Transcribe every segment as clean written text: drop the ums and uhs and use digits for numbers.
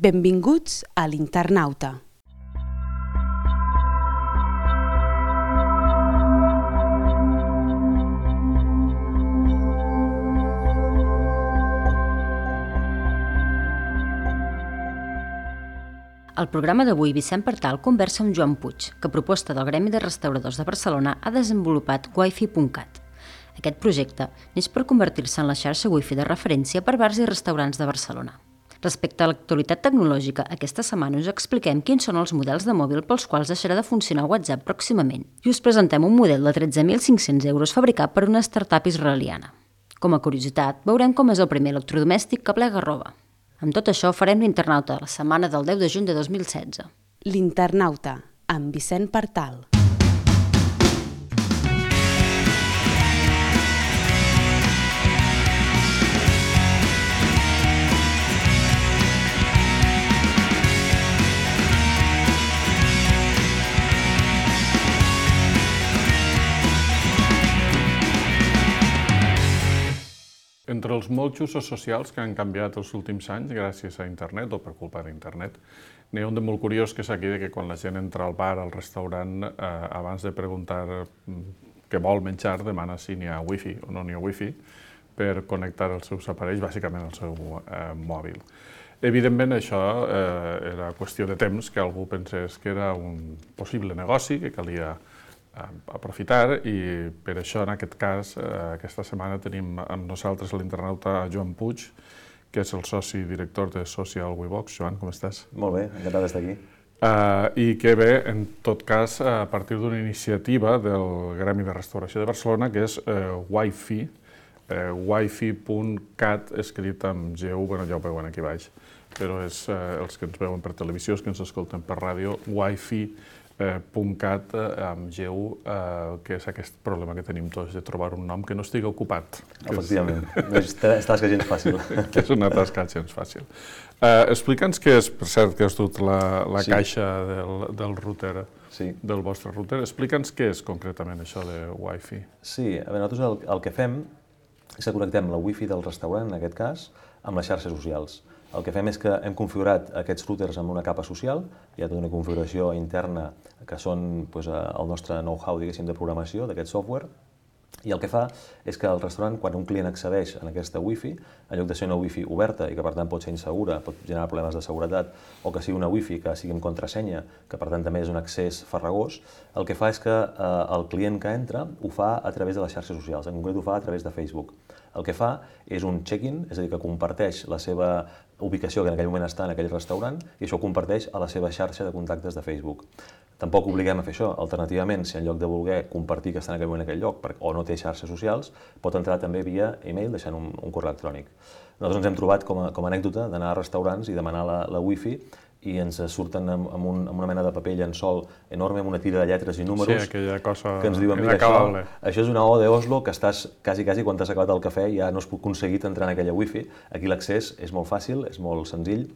Benvinguts a l'Internauta. Al programa d'avui, Vicent Partal conversa amb Joan Puig, que a proposta del Gremi de Restauradors de Barcelona ha desenvolupat wifi.cat. Aquest projecte neix per convertir-se en la xarxa wifi de referència per bars i restaurants de Barcelona. Respecte a l'actualitat tecnològica, aquesta setmana us expliquem quins són els models de mòbil pels quals deixarà de funcionar WhatsApp pròximament i us presentem un model de 13.500 euros fabricat per una startup israeliana. Com a curiositat, veurem com és el primer electrodomèstic que plega roba. Amb tot això, farem l'Internauta la setmana del 10 de juny de 2016. L'Internauta, amb Vicent Partal. Entre els molts usos socials que han canviat els últims anys gràcies a internet o per culpa d'internet, n'hi ha un de molt curiós que és aquí que quan la gent entra al bar, al restaurant, abans de preguntar què vol menjar, demana si n'hi ha wifi o no n'hi ha wifi per connectar els seus aparells, bàsicament el seu mòbil. Evidentment, això era qüestió de temps que algú pensés que era un possible negoci que calia aprofitar i per això, en aquest cas, aquesta setmana tenim amb nosaltres l'internauta Joan Puig, que és el soci director de Social WeBox. Joan, com estàs? Molt bé, encantat d'estar aquí. I que ve, en tot cas, a partir d'una iniciativa del Gremi de Restauració de Barcelona, que és Wifi, wifi.cat, escrit amb GU, ja ho veuen aquí baix, però és els que ens veuen per televisió, els que ens escolten per ràdio, wifi.cat amb GU, que és aquest problema que tenim tots de trobar un nom que no estigui ocupat. Efectivament, no és tasca gens fàcil. Que és una tasca gens fàcil. Explica'ns què és, per cert, que has dut la caixa del router, del vostre router. Explica'ns què és concretament això de Wi-Fi. Sí, a veure, nosaltres el que fem és que connectem la Wi-Fi del restaurant, en aquest cas, amb les xarxes socials. El que fem és que hem configurat aquests routers amb una capa social, hi ha tota una configuració interna que són el nostre know-how, diguéssim, de programació d'aquest software, i el que fa és que el restaurant, quan un client accedeix a aquesta Wi-Fi, en lloc de ser una Wi-Fi oberta i que per tant pot ser insegura, pot generar problemes de seguretat, o que sigui una Wi-Fi que sigui amb contrasenya, que per tant també és un accés farragós, el que fa és que el client que entra ho fa a través de les xarxes socials, en concret ho fa a través de Facebook. El que fa és un check-in, és a dir, que comparteix la seva ubicació que en aquell moment està en aquell restaurant i això ho comparteix a la seva xarxa de contactes de Facebook. Tampoc obliguem a fer això. Alternativament, si en lloc de voler compartir que està en aquell moment en aquell lloc o no té xarxes socials, pot entrar també via e-mail deixant un correu electrònic. Nosaltres ens hem trobat com a anècdota d'anar a restaurants i demanar la Wi-Fi i ens surten amb una mena de paper llençol enorme, amb una tira de lletres i números que ens diuen, mira, això és una O d'Oslo que estàs quasi quan t'has acabat el cafè ja no has aconseguit entrar en aquella Wi-Fi. Aquí l'accés és molt fàcil, és molt senzill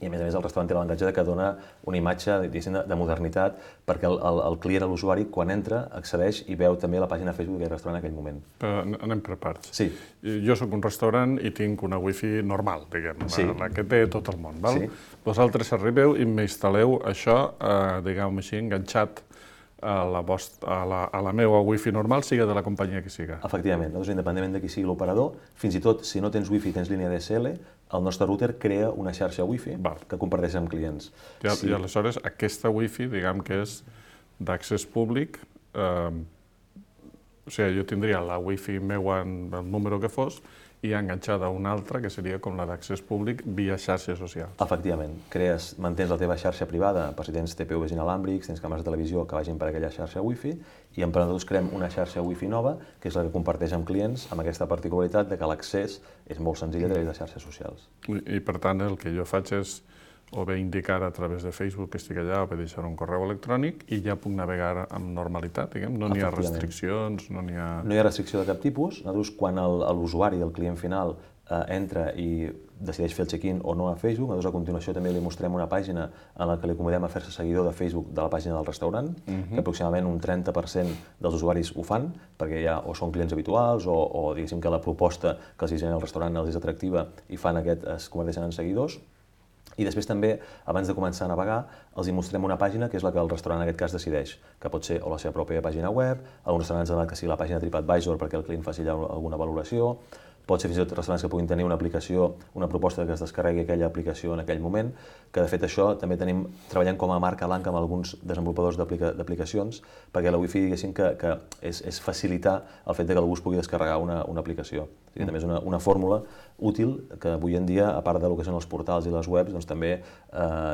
i a més el restaurant té l'avantatge que dona una imatge de modernitat perquè el client, l'usuari, quan entra, accedeix i veu també la pàgina Facebook d'aquell restaurant en aquell moment. Però anem per parts. Sí. Jo soc un restaurant i tinc una Wi-Fi normal, diguem, la que té tot el món. Vosaltres arribeu i m'instal·leu això, diguem-ho així, enganxat a la meva Wi-Fi normal, siga de la companyia que siga. Efectivament, nosaltres, independentment de qui sigui l'operador, fins i tot si no tens Wi-Fi i tens línia DSL, el nostre router crea una xarxa Wi-Fi que comparteix amb clients. I aleshores aquesta Wi-Fi, diguem que és d'accés públic, o sigui, jo tindria la Wi-Fi meua en el número que fos i enganxada a una altra, que seria com la d'accés públic via xarxes socials. Efectivament. Mantens la teva xarxa privada per si tens TPVs inalàmbrics, tens càmeres de televisió que vagin per aquella xarxa Wi-Fi i nosaltres creem una xarxa Wi-Fi nova, que és la que comparteix amb clients, amb aquesta particularitat de que l'accés és molt senzill a través de xarxes socials. I per tant el que jo faig és o bé indicar a través de Facebook que estic allà o bé deixar un correu electrònic i ja puc navegar amb normalitat, diguem. No n'hi ha restriccions, no n'hi ha... No hi ha restricció de cap tipus. Nosaltres, quan l'usuari, el client final, entra i decideix fer el check-in o no a Facebook, nosaltres a continuació també li mostrem una pàgina en la que li acomodem a fer-se seguidor de Facebook de la pàgina del restaurant, que aproximadament un 30% dels usuaris ho fan, perquè ja o són clients habituals o diguéssim que la proposta que els genera el restaurant els és atractiva i fan es converteixen en seguidors. I després també, abans de començar a navegar, els hi mostrem una pàgina que és la que el restaurant en aquest cas decideix, que pot ser o la seva pròpia pàgina web, alguns restaurants han demanat que sigui la pàgina TripAdvisor perquè el client faci allà alguna valoració, pot ser fins i tot restaurants que puguin tenir una aplicació, una proposta que es descarregui aquella aplicació en aquell moment, que de fet això també treballem com a marca blanca amb alguns desenvolupadors d'aplicacions, perquè la Wi-Fi diguéssim que és facilitar el fet que algú es pugui descarregar una aplicació. També és una fórmula útil que avui en dia, a part del que són els portals i les webs, doncs també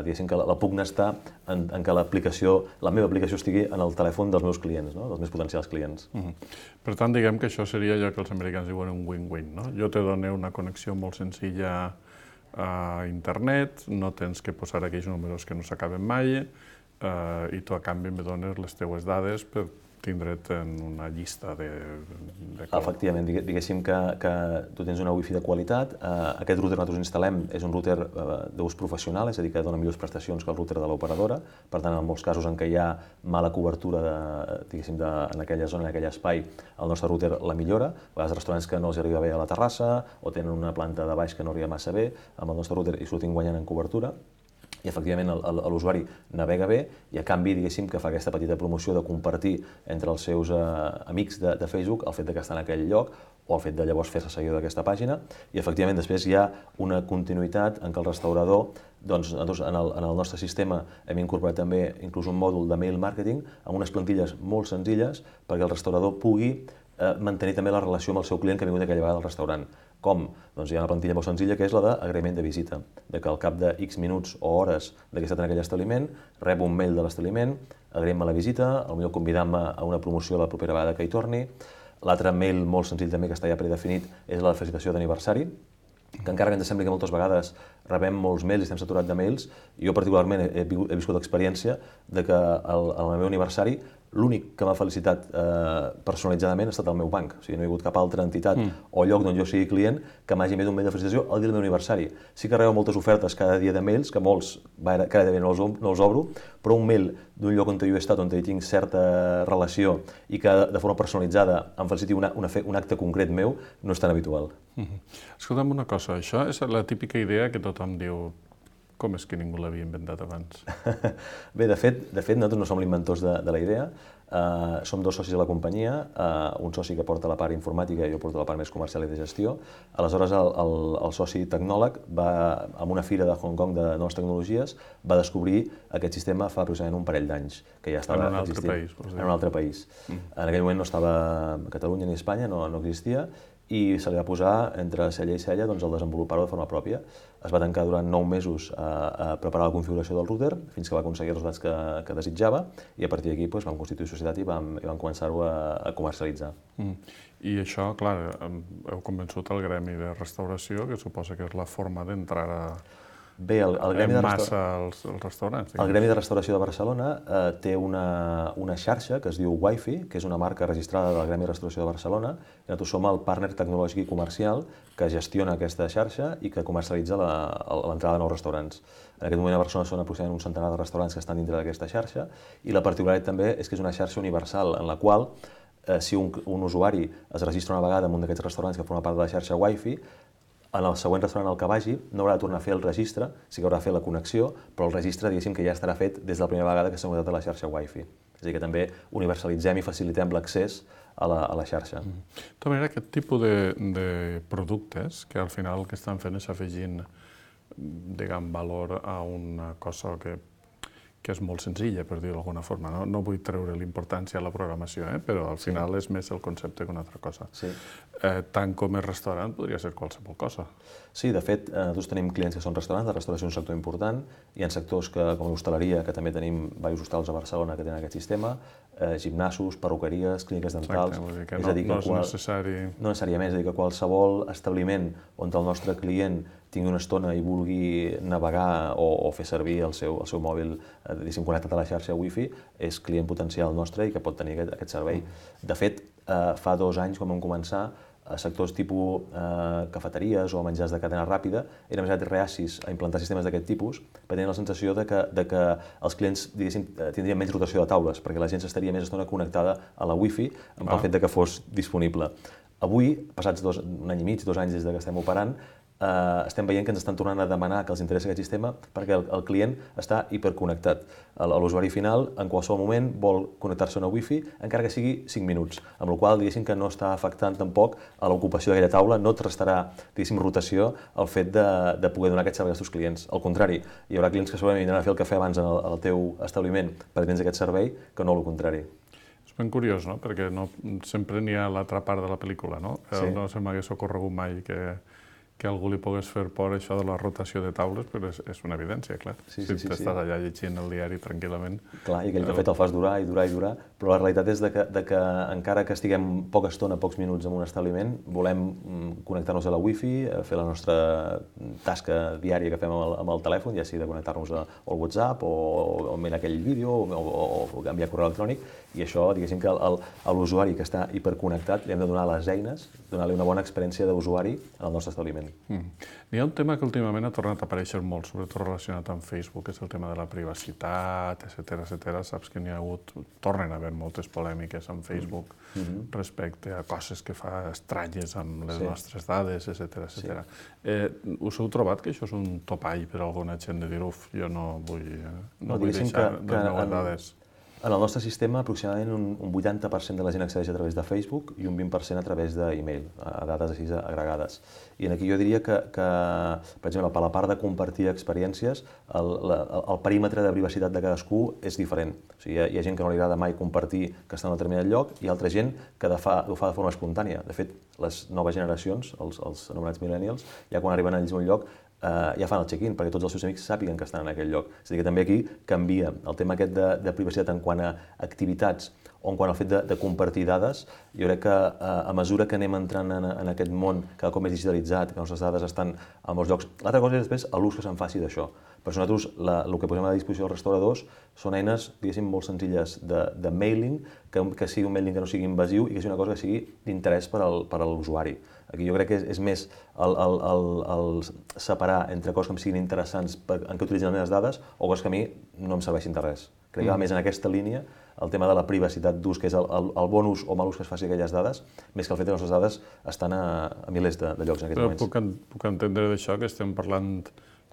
diguéssim que la pugna està en que la meva aplicació estigui en el telèfon dels meus clients, no? Dels meus potencials clients. Per tant, diguem que això seria allò que els americans diuen un win-win, no? Jo te dono una connexió molt senzilla a internet, no tens que posar aquells números que no s'acaben mai i tu a canvi me dones les teues dades per tindre't en una llista de Efectivament, diguéssim que tu tens una Wi-Fi de qualitat. Aquest router que nosaltres instal·lem és un router d'ús professional, és a dir, que dona millors prestacions que el router de l'operadora. Per tant, en molts casos en què hi ha mala cobertura en aquella zona, en aquell espai, el nostre router la millora. A vegades restaurants que no els arriba bé a la terrassa o tenen una planta de baix que no arriba massa bé, amb el nostre router hi sortim guanyant en cobertura. I efectivament l'usuari navega bé i a canvi diguéssim que fa aquesta petita promoció de compartir entre els seus amics de Facebook el fet que està en aquell lloc o el fet de llavors fer-se seguidor d'aquesta pàgina i efectivament després hi ha una continuïtat en què el restaurador, doncs nosaltres en el nostre sistema hem incorporat també inclús un mòdul de mail marketing amb unes plantilles molt senzilles perquè el restaurador pugui mantenir també la relació amb el seu client que ha vingut aquella vegada al restaurant. Com? Doncs hi ha una plantilla molt senzilla que és la d'agraïment de visita, de que al cap de X minuts o hores que he estat en aquell establiment, rebo un mail de l'establiment, agraïm-me la visita, potser convidant-me a una promoció la propera vegada que hi torni. L'altre mail molt senzill també que està ja predefinit és la felicitació d'aniversari, que encara que ens sembli que moltes vegades rebem molts mails i estem saturats de mails, jo particularment he viscut l'experiència de que al meu aniversari l'únic que m'ha felicitat personalitzadament ha estat el meu banc. O sigui, no hi ha hagut cap altra entitat o lloc d'on jo sigui client que m'hagi enviat un mail de felicitació el dia del meu aniversari. Sí que rebo moltes ofertes cada dia de mails, que molts cada dia no els obro, però un mail d'un lloc on jo he estat, on hi tinc certa relació i que de forma personalitzada em feliciti un acte concret meu, no és tan habitual. Escolta'm una cosa, això és la típica idea que tothom diu com és que ningú l'havia inventat abans? Bé, de fet, nosaltres no som l'inventors de la idea. Som dos socis de la companyia, un soci que porta la part informàtica i jo porto la part més comercial i de gestió. Aleshores, el soci tecnòleg va a una fira de Hong Kong de noves tecnologies, va descobrir aquest sistema fa aproximadament un parell d'anys, que ja estava existint. En un altre país. En aquell moment no estava a Catalunya ni a Espanya, no existia, i se li va posar entre cella i cella el desenvolupar-ho de forma pròpia. Es va tancar durant 9 mesos a preparar la configuració del router fins que va aconseguir els resultats que desitjava i a partir d'aquí vam constituir societat i vam començar-ho a comercialitzar. I això, clar, heu convençut el gremi de restauració, que suposa que és la forma d'entrar en massa als restaurants. El Gremi de Restauració de Barcelona té una xarxa que es diu Wi-Fi, que és una marca registrada del Gremi de Restauració de Barcelona, i nosaltres som el partner tecnològic i comercial que gestiona aquesta xarxa i que comercialitza l'entrada de nous restaurants. En aquest moment a Barcelona són aproximadament un centenar de restaurants que estan dintre d'aquesta xarxa i la particularitat també és que és una xarxa universal en la qual si un usuari es registra una vegada en un d'aquests restaurants que forma part de la xarxa Wi-Fi, en el següent restaurant al que vagi no haurà de tornar a fer el registre, sí que haurà de fer la connexió, però el registre diguéssim que ja estarà fet des de la primera vegada que s'ha connectat a la xarxa Wi-Fi. És a dir, que també universalitzem i facilitem l'accés a la xarxa. De tota manera, aquest tipus de productes, que al final el que estan fent és afegint valor a una cosa que és molt senzilla, per dir-ho d'alguna forma. No vull treure l'importància a la programació, però al final és més el concepte que una altra cosa. Tant com és restaurant, podria ser qualsevol cosa. Sí, de fet, nosaltres tenim clients que són restaurants, la restauració és un sector important, hi ha sectors com l'hostaleria, que també tenim diversos hostals a Barcelona que tenen aquest sistema, gimnasos, perruqueries, clíniques dentals... Exacte, no és necessari... No necessàriament, és a dir, que qualsevol establiment on el nostre client tingui una estona i vulgui navegar o fer servir el seu mòbil connectat a la xarxa Wi-Fi, és client potencial nostre i que pot tenir aquest servei. De fet, fa 2 anys, quan vam començar, sectors tipus cafeteries o menjars de cadena ràpida eren més reacis a implantar sistemes d'aquest tipus perquè tenien la sensació de que els clients tindrien menys rotació de taules perquè la gent estaria més estona connectada a la Wi-Fi amb el fet que fos disponible. Avui, passats un any i mig, 2 anys des que estem operant, estem veient que ens estan tornant a demanar que els interessa aquest sistema perquè el client està hiperconnectat. L'usuari final, en qualsevol moment, vol connectar-se a una wifi, encara que sigui 5 minuts, amb la qual cosa, diguéssim, que no està afectant tampoc a l'ocupació d'aquella taula, no et restarà, diguéssim, rotació el fet de poder donar aquest servei als teus clients. Al contrari, hi haurà clients que segurament vindran a fer el cafè abans al teu establiment perquè tens aquest servei, que no el contrari. És ben curiós, no? Perquè sempre n'hi ha l'altra part de la pel·lícula, no? Sí. No se m'hagués ocorregut mai que algú li pogués fer por això de la rotació de taules, però és una evidència, clar. Sí, si t'estàs allà llegint el diari tranquil·lament... Clar, i aquell cafè te'l fas durar i durar i durar, però la realitat és que encara que estiguem poca estona, pocs minuts en un establiment, volem connectar-nos a la wifi, fer la nostra tasca diària que fem amb el telèfon, ja sigui de connectar-nos al WhatsApp o mirar aquell vídeo o enviar correu electrònic, i això, diguéssim que a l'usuari que està hiperconnectat li hem de donar les eines, donar-li una bona experiència d'usuari en el nostre establiment. Hi ha un tema que últimament ha tornat a aparèixer molt, sobretot relacionat amb Facebook, que és el tema de la privacitat, etc. Saps que n'hi ha hagut, tornen a haver moltes polèmiques amb Facebook respecte a coses que fa estranyes amb les nostres dades, etc. Us heu trobat que això és un topall per a alguna gent de dir, jo no vull deixar les meves dades? En el nostre sistema, aproximadament un 80% de la gent accedeix a través de Facebook i un 20% a través d'e-mail, a dades així agregades. I aquí jo diria que, per exemple, per la part de compartir experiències, el perímetre de privacitat de cadascú és diferent. O sigui, hi ha gent que no li agrada mai compartir que està en un determinat lloc i altra gent que ho fa de forma espontània. De fet, les noves generacions, els anomenats millennials, ja quan arriben a ells a un lloc, ja fan el check-in perquè tots els seus amics sàpiguen que estan en aquell lloc. És a dir, que també aquí canvia el tema aquest de privacitat en quant a activitats o en quant al fet de compartir dades. Jo crec que a mesura que anem entrant en aquest món cada cop més digitalitzat, que les nostres dades estan a molts llocs, l'altra cosa és després l'ús que se'n faci d'això. Per això nosaltres el que posem a disposició dels restauradors són eines, diguéssim, molt senzilles de mailing, que sigui un mailing que no sigui invasiu i que sigui una cosa que sigui d'interès per a l'usuari. Aquí jo crec que és més el separar entre coses que em siguin interessants en què utilitzen les meves dades o coses que a mi no em serveixin de res. Crec que va més en aquesta línia el tema de la privacitat d'ús, que és el bon ús o mal ús que es faci d'aquelles dades, més que el fet que les nostres dades estan a milers de llocs en aquests moments. Però puc entendre d'això que estem parlant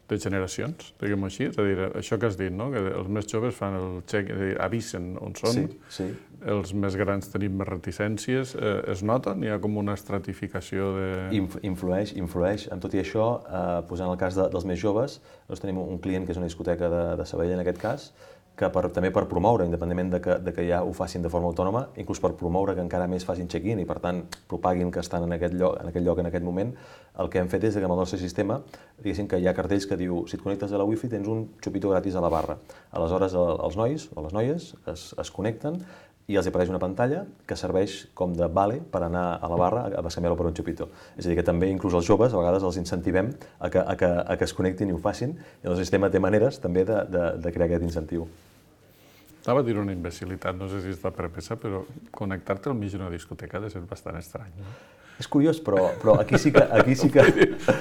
de generacions, diguem-ho així, és a dir, això que has dit, no? Que els més joves fan el check, és a dir, avisen on són, els més grans tenim més reticències, es nota? N'hi ha com una estratificació de... Influeix, amb tot i això, posant el cas dels més joves, nosaltres tenim un client que és una discoteca de Sabadell en aquest cas, que també per promoure, independentment de que ja ho facin de forma autònoma, inclús per promoure que encara més facin check-in i per tant propaguin que estan en aquest lloc en aquest moment, el que hem fet és que amb el nostre sistema, diguéssim que hi ha cartells que diu si et connectes a la wifi tens un xupito gratis a la barra. Aleshores els nois o les noies es connecten i els apareix una pantalla que serveix com de vale per anar a la barra a bescanviar-lo per un xupito. És a dir, que també inclús els joves a vegades els incentivem a que es connectin i ho facin, i el sistema té maneres també de crear aquest incentiu. Anava a dir una imbecilitat, no sé si està permesa, però connectar-te al mig d'una discoteca ha de ser bastant estrany, no? És curiós, però aquí sí que...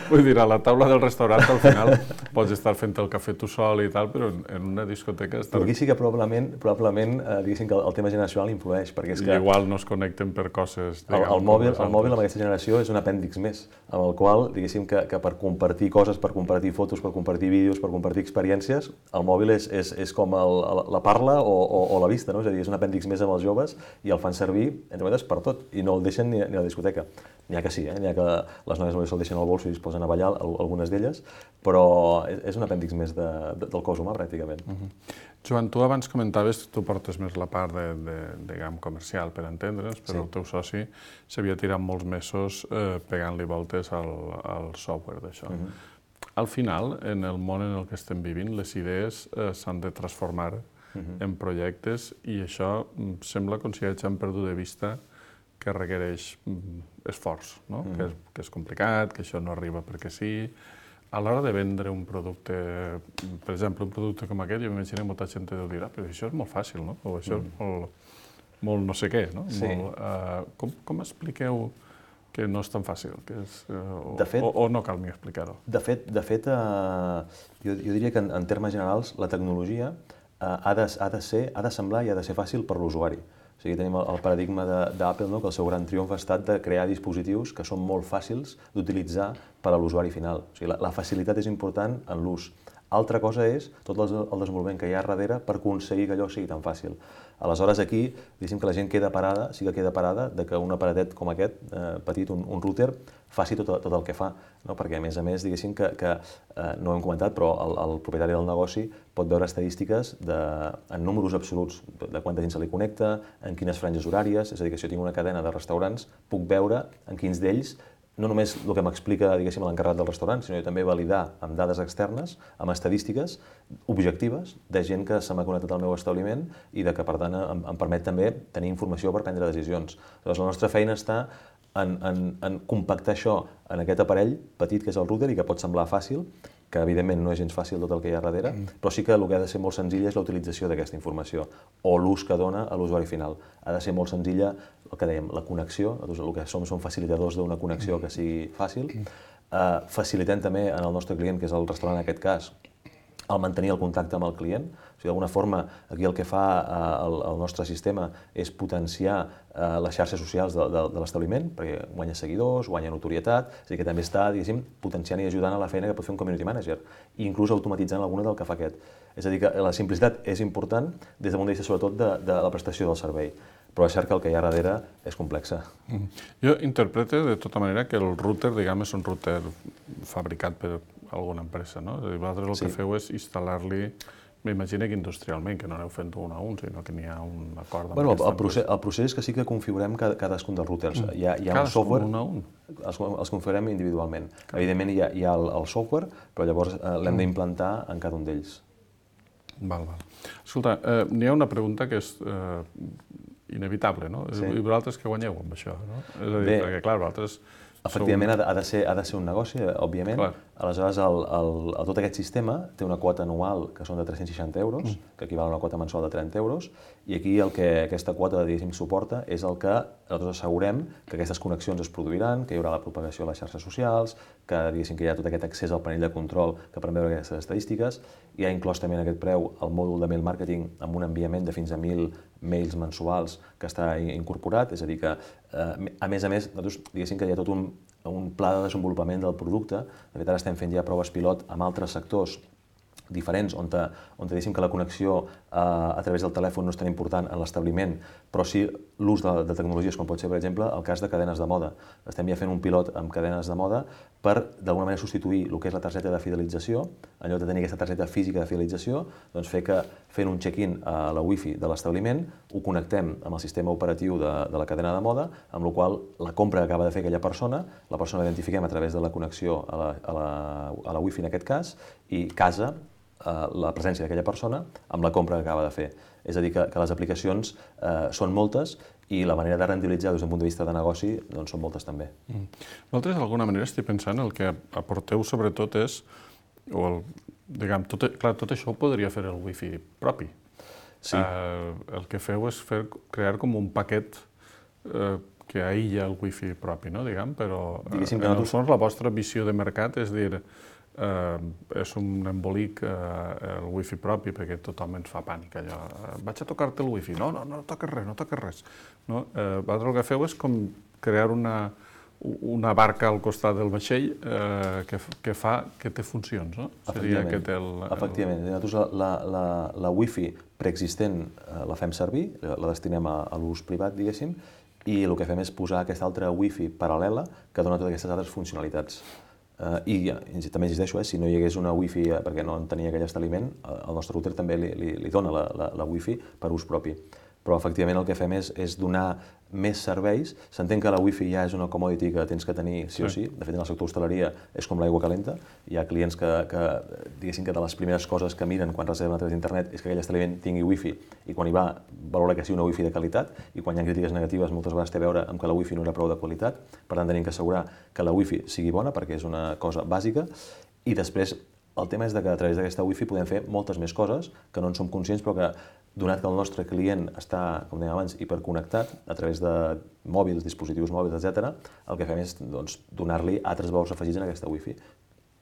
Vull dir, a la taula del restaurant al final pots estar fent el cafè tu sol i tal, però en una discoteca... Però aquí sí que probablement diguéssim que el tema generacional influeix, perquè és que... Igual no es connecten per coses... El mòbil amb aquesta generació és un apèndix més, amb el qual, diguéssim que per compartir coses, per compartir fotos, per compartir vídeos, per compartir experiències, el mòbil és com la parla o la vista, no? És a dir, és un apèndix més amb els joves i el fan servir, entre cometes, per tot, i no el deixen ni a la discoteca. N'hi ha que sí, n'hi ha que les noies només se'l deixen al bolso i es posen a ballar, algunes d'elles, però és un apèndix més del cos humà, pràcticament. Joan, tu abans comentaves que tu portes més la part diguem, comercial, per entendre'ns, però el teu soci s'havia tirat molts mesos pegant-li voltes al software d'això. Al final, en el món en el que estem vivint, les idees s'han de transformar en projectes i això sembla com si hagin perdut de vista que requereix esforç, que és complicat, que això no arriba perquè sí. A l'hora de vendre un producte, per exemple, un producte com aquest, jo m'imagino que molta gent deu dir, però això és molt fàcil, no? O això és molt no sé què, no? Com expliqueu que no és tan fàcil? O no cal ni explicar-ho? De fet, jo diria que en termes generals la tecnologia ha de semblar i ha de ser fàcil per l'usuari. O sigui, tenim el paradigma d'Apple, no? Que el seu gran triomf ha estat de crear dispositius que són molt fàcils d'utilitzar per a l'usuari final. O sigui, la facilitat és important en l'ús. Altra cosa és tot el desenvolupament que hi ha darrere per aconseguir que allò sigui tan fàcil. Aleshores, aquí, diguéssim que la gent queda parada, sí que queda parada, de que un aparatet com aquest, petit, un router, faci tot el que fa, no? Perquè, a més, diguéssim que no ho hem comentat, però el propietari del negoci pot veure estadístiques en números absoluts, de quanta gent se li connecta, en quines franges horàries, és a dir, que si jo tinc una cadena de restaurants, puc veure en quins d'ells no només el que m'explica, diguéssim, l'encarregat del restaurant, sinó també validar amb dades externes, amb estadístiques objectives de gent que se m'ha connectat al meu establiment i que, per tant, em permet també tenir informació per prendre decisions. Llavors, la nostra feina està en compactar això en aquest aparell petit que és el router i que pot semblar fàcil, que evidentment no és gens fàcil tot el que hi ha darrere, però sí que el que ha de ser molt senzill és la utilització d'aquesta informació o l'ús que dona a l'usuari final. Ha de ser molt senzilla, el que dèiem, la connexió, el que som facilitadors d'una connexió que sigui fàcil. Facilitem també en el nostre client, que és el restaurant en aquest cas, el mantenir el contacte amb el client. O sigui, d'alguna forma, aquí el que fa el nostre sistema és potenciar les xarxes socials de l'establiment, perquè guanya seguidors, guanya notorietat, és a dir, que també està, diguéssim, potenciant i ajudant a la feina que pot fer un community manager, i inclús automatitzant alguna del que fa aquest. És a dir, que la simplicitat és important des del punt de vista, sobretot, de la prestació del servei, però és cert que el que hi ha darrere és complexa. Jo interpreto de tota manera que el router, diguem, és un router fabricat per alguna empresa, no? És a dir, vosaltres el que feu és instal·lar-li, m'imagino que industrialment, que no aneu fent un a un, sinó que n'hi ha un acord amb aquesta empresa. El procés és que sí que configurem cadascun dels routers. Hi ha un Cadascun software, un a un? els configurem individualment. Evidentment hi ha el software, però llavors l'hem d'implantar en cada un d'ells. Val. Escolta, n'hi ha una pregunta que és inevitable, no? I vosaltres què guanyeu amb això, no? És a dir, perquè, clar, vosaltres... Efectivament, ha de ser un negoci, òbviament. Aleshores, tot aquest sistema té una quota anual que són de 360 euros, que equival a una quota mensual de 30 euros, i aquí el que aquesta quota, diguéssim, suporta és el que nosaltres assegurem que aquestes connexions es produiran, que hi haurà la propagació a les xarxes socials, que, diguéssim, que hi ha tot aquest accés al panell de control que permet veure aquestes estadístiques. Hi ha inclòs també en aquest preu el mòdul de mail marketing amb un enviament de fins a 1.000 mails mensuals que està incorporat, és a dir que, a més, nosaltres, diguéssim que hi ha tot un pla de desenvolupament del producte. De fet, ara estem fent ja proves pilot amb altres sectors diferents, on diguéssim que la connexió a través del telèfon no és tan important en l'establiment, però sí l'ús de tecnologies, com pot ser, per exemple, el cas de cadenes de moda. Estem ja fent un pilot amb cadenes de moda per, d'alguna manera, substituir el que és la targeta de fidelització, en lloc de tenir aquesta targeta física de fidelització, doncs fer que, fent un check-in a la wifi de l'establiment, ho connectem amb el sistema operatiu de la cadena de moda, amb la qual la compra que acaba de fer aquella persona, la persona l'identifiquem a través de la connexió a la wifi en aquest cas, i casa la presència d'aquella persona amb la compra que acaba de fer. És a dir, que les aplicacions són moltes i la manera de rendibilitzar des d'un punt de vista de negoci doncs són moltes també. Vosaltres, d'alguna manera, estic pensant, el que aporteu sobretot és, diguem, tot això ho podria fer el wifi propi. Sí. El que feu és crear com un paquet que aïlla el wifi propi, no? Diguem, però en el fons la vostra visió de mercat és dir, és un embolic el wifi propi perquè tothom ens fa pànic allò. Vaig a tocar-te el wifi. No toques res. Vosaltres el que feu és com crear una barca al costat del vaixell que té funcions, no? Efectivament. Nosaltres la wifi preexistent la fem servir, la destinem a l'ús privat, diguéssim, i el que fem és posar aquesta altra wifi paral·lela que dona totes aquestes altres funcionalitats. I també insisteixo, si no hi hagués una wifi perquè no en tenia aquell establiment, el nostre router també li dona la wifi per ús propi. Però efectivament el que fem és donar més serveis. S'entén que la wifi ja és una commodity que tens que tenir sí o sí. De fet, en el sector hostaleria és com l'aigua calenta. Hi ha clients que diguéssim que de les primeres coses que miren quan reserven a través d'internet és que aquell establiment tingui wifi i quan hi va valora que sigui una wifi de qualitat i quan hi ha crítiques negatives moltes vegades té a veure amb que la wifi no era prou de qualitat. Per tant, tenim que assegurar que la wifi sigui bona perquè és una cosa bàsica i després el tema és que a través d'aquesta wifi podem fer moltes més coses que no en som conscients però que donat que el nostre client està, com dèiem abans, hiperconnectat a través de mòbils, dispositius mòbils, etc., el que fem és donar-li altres valors afegits en aquesta wifi.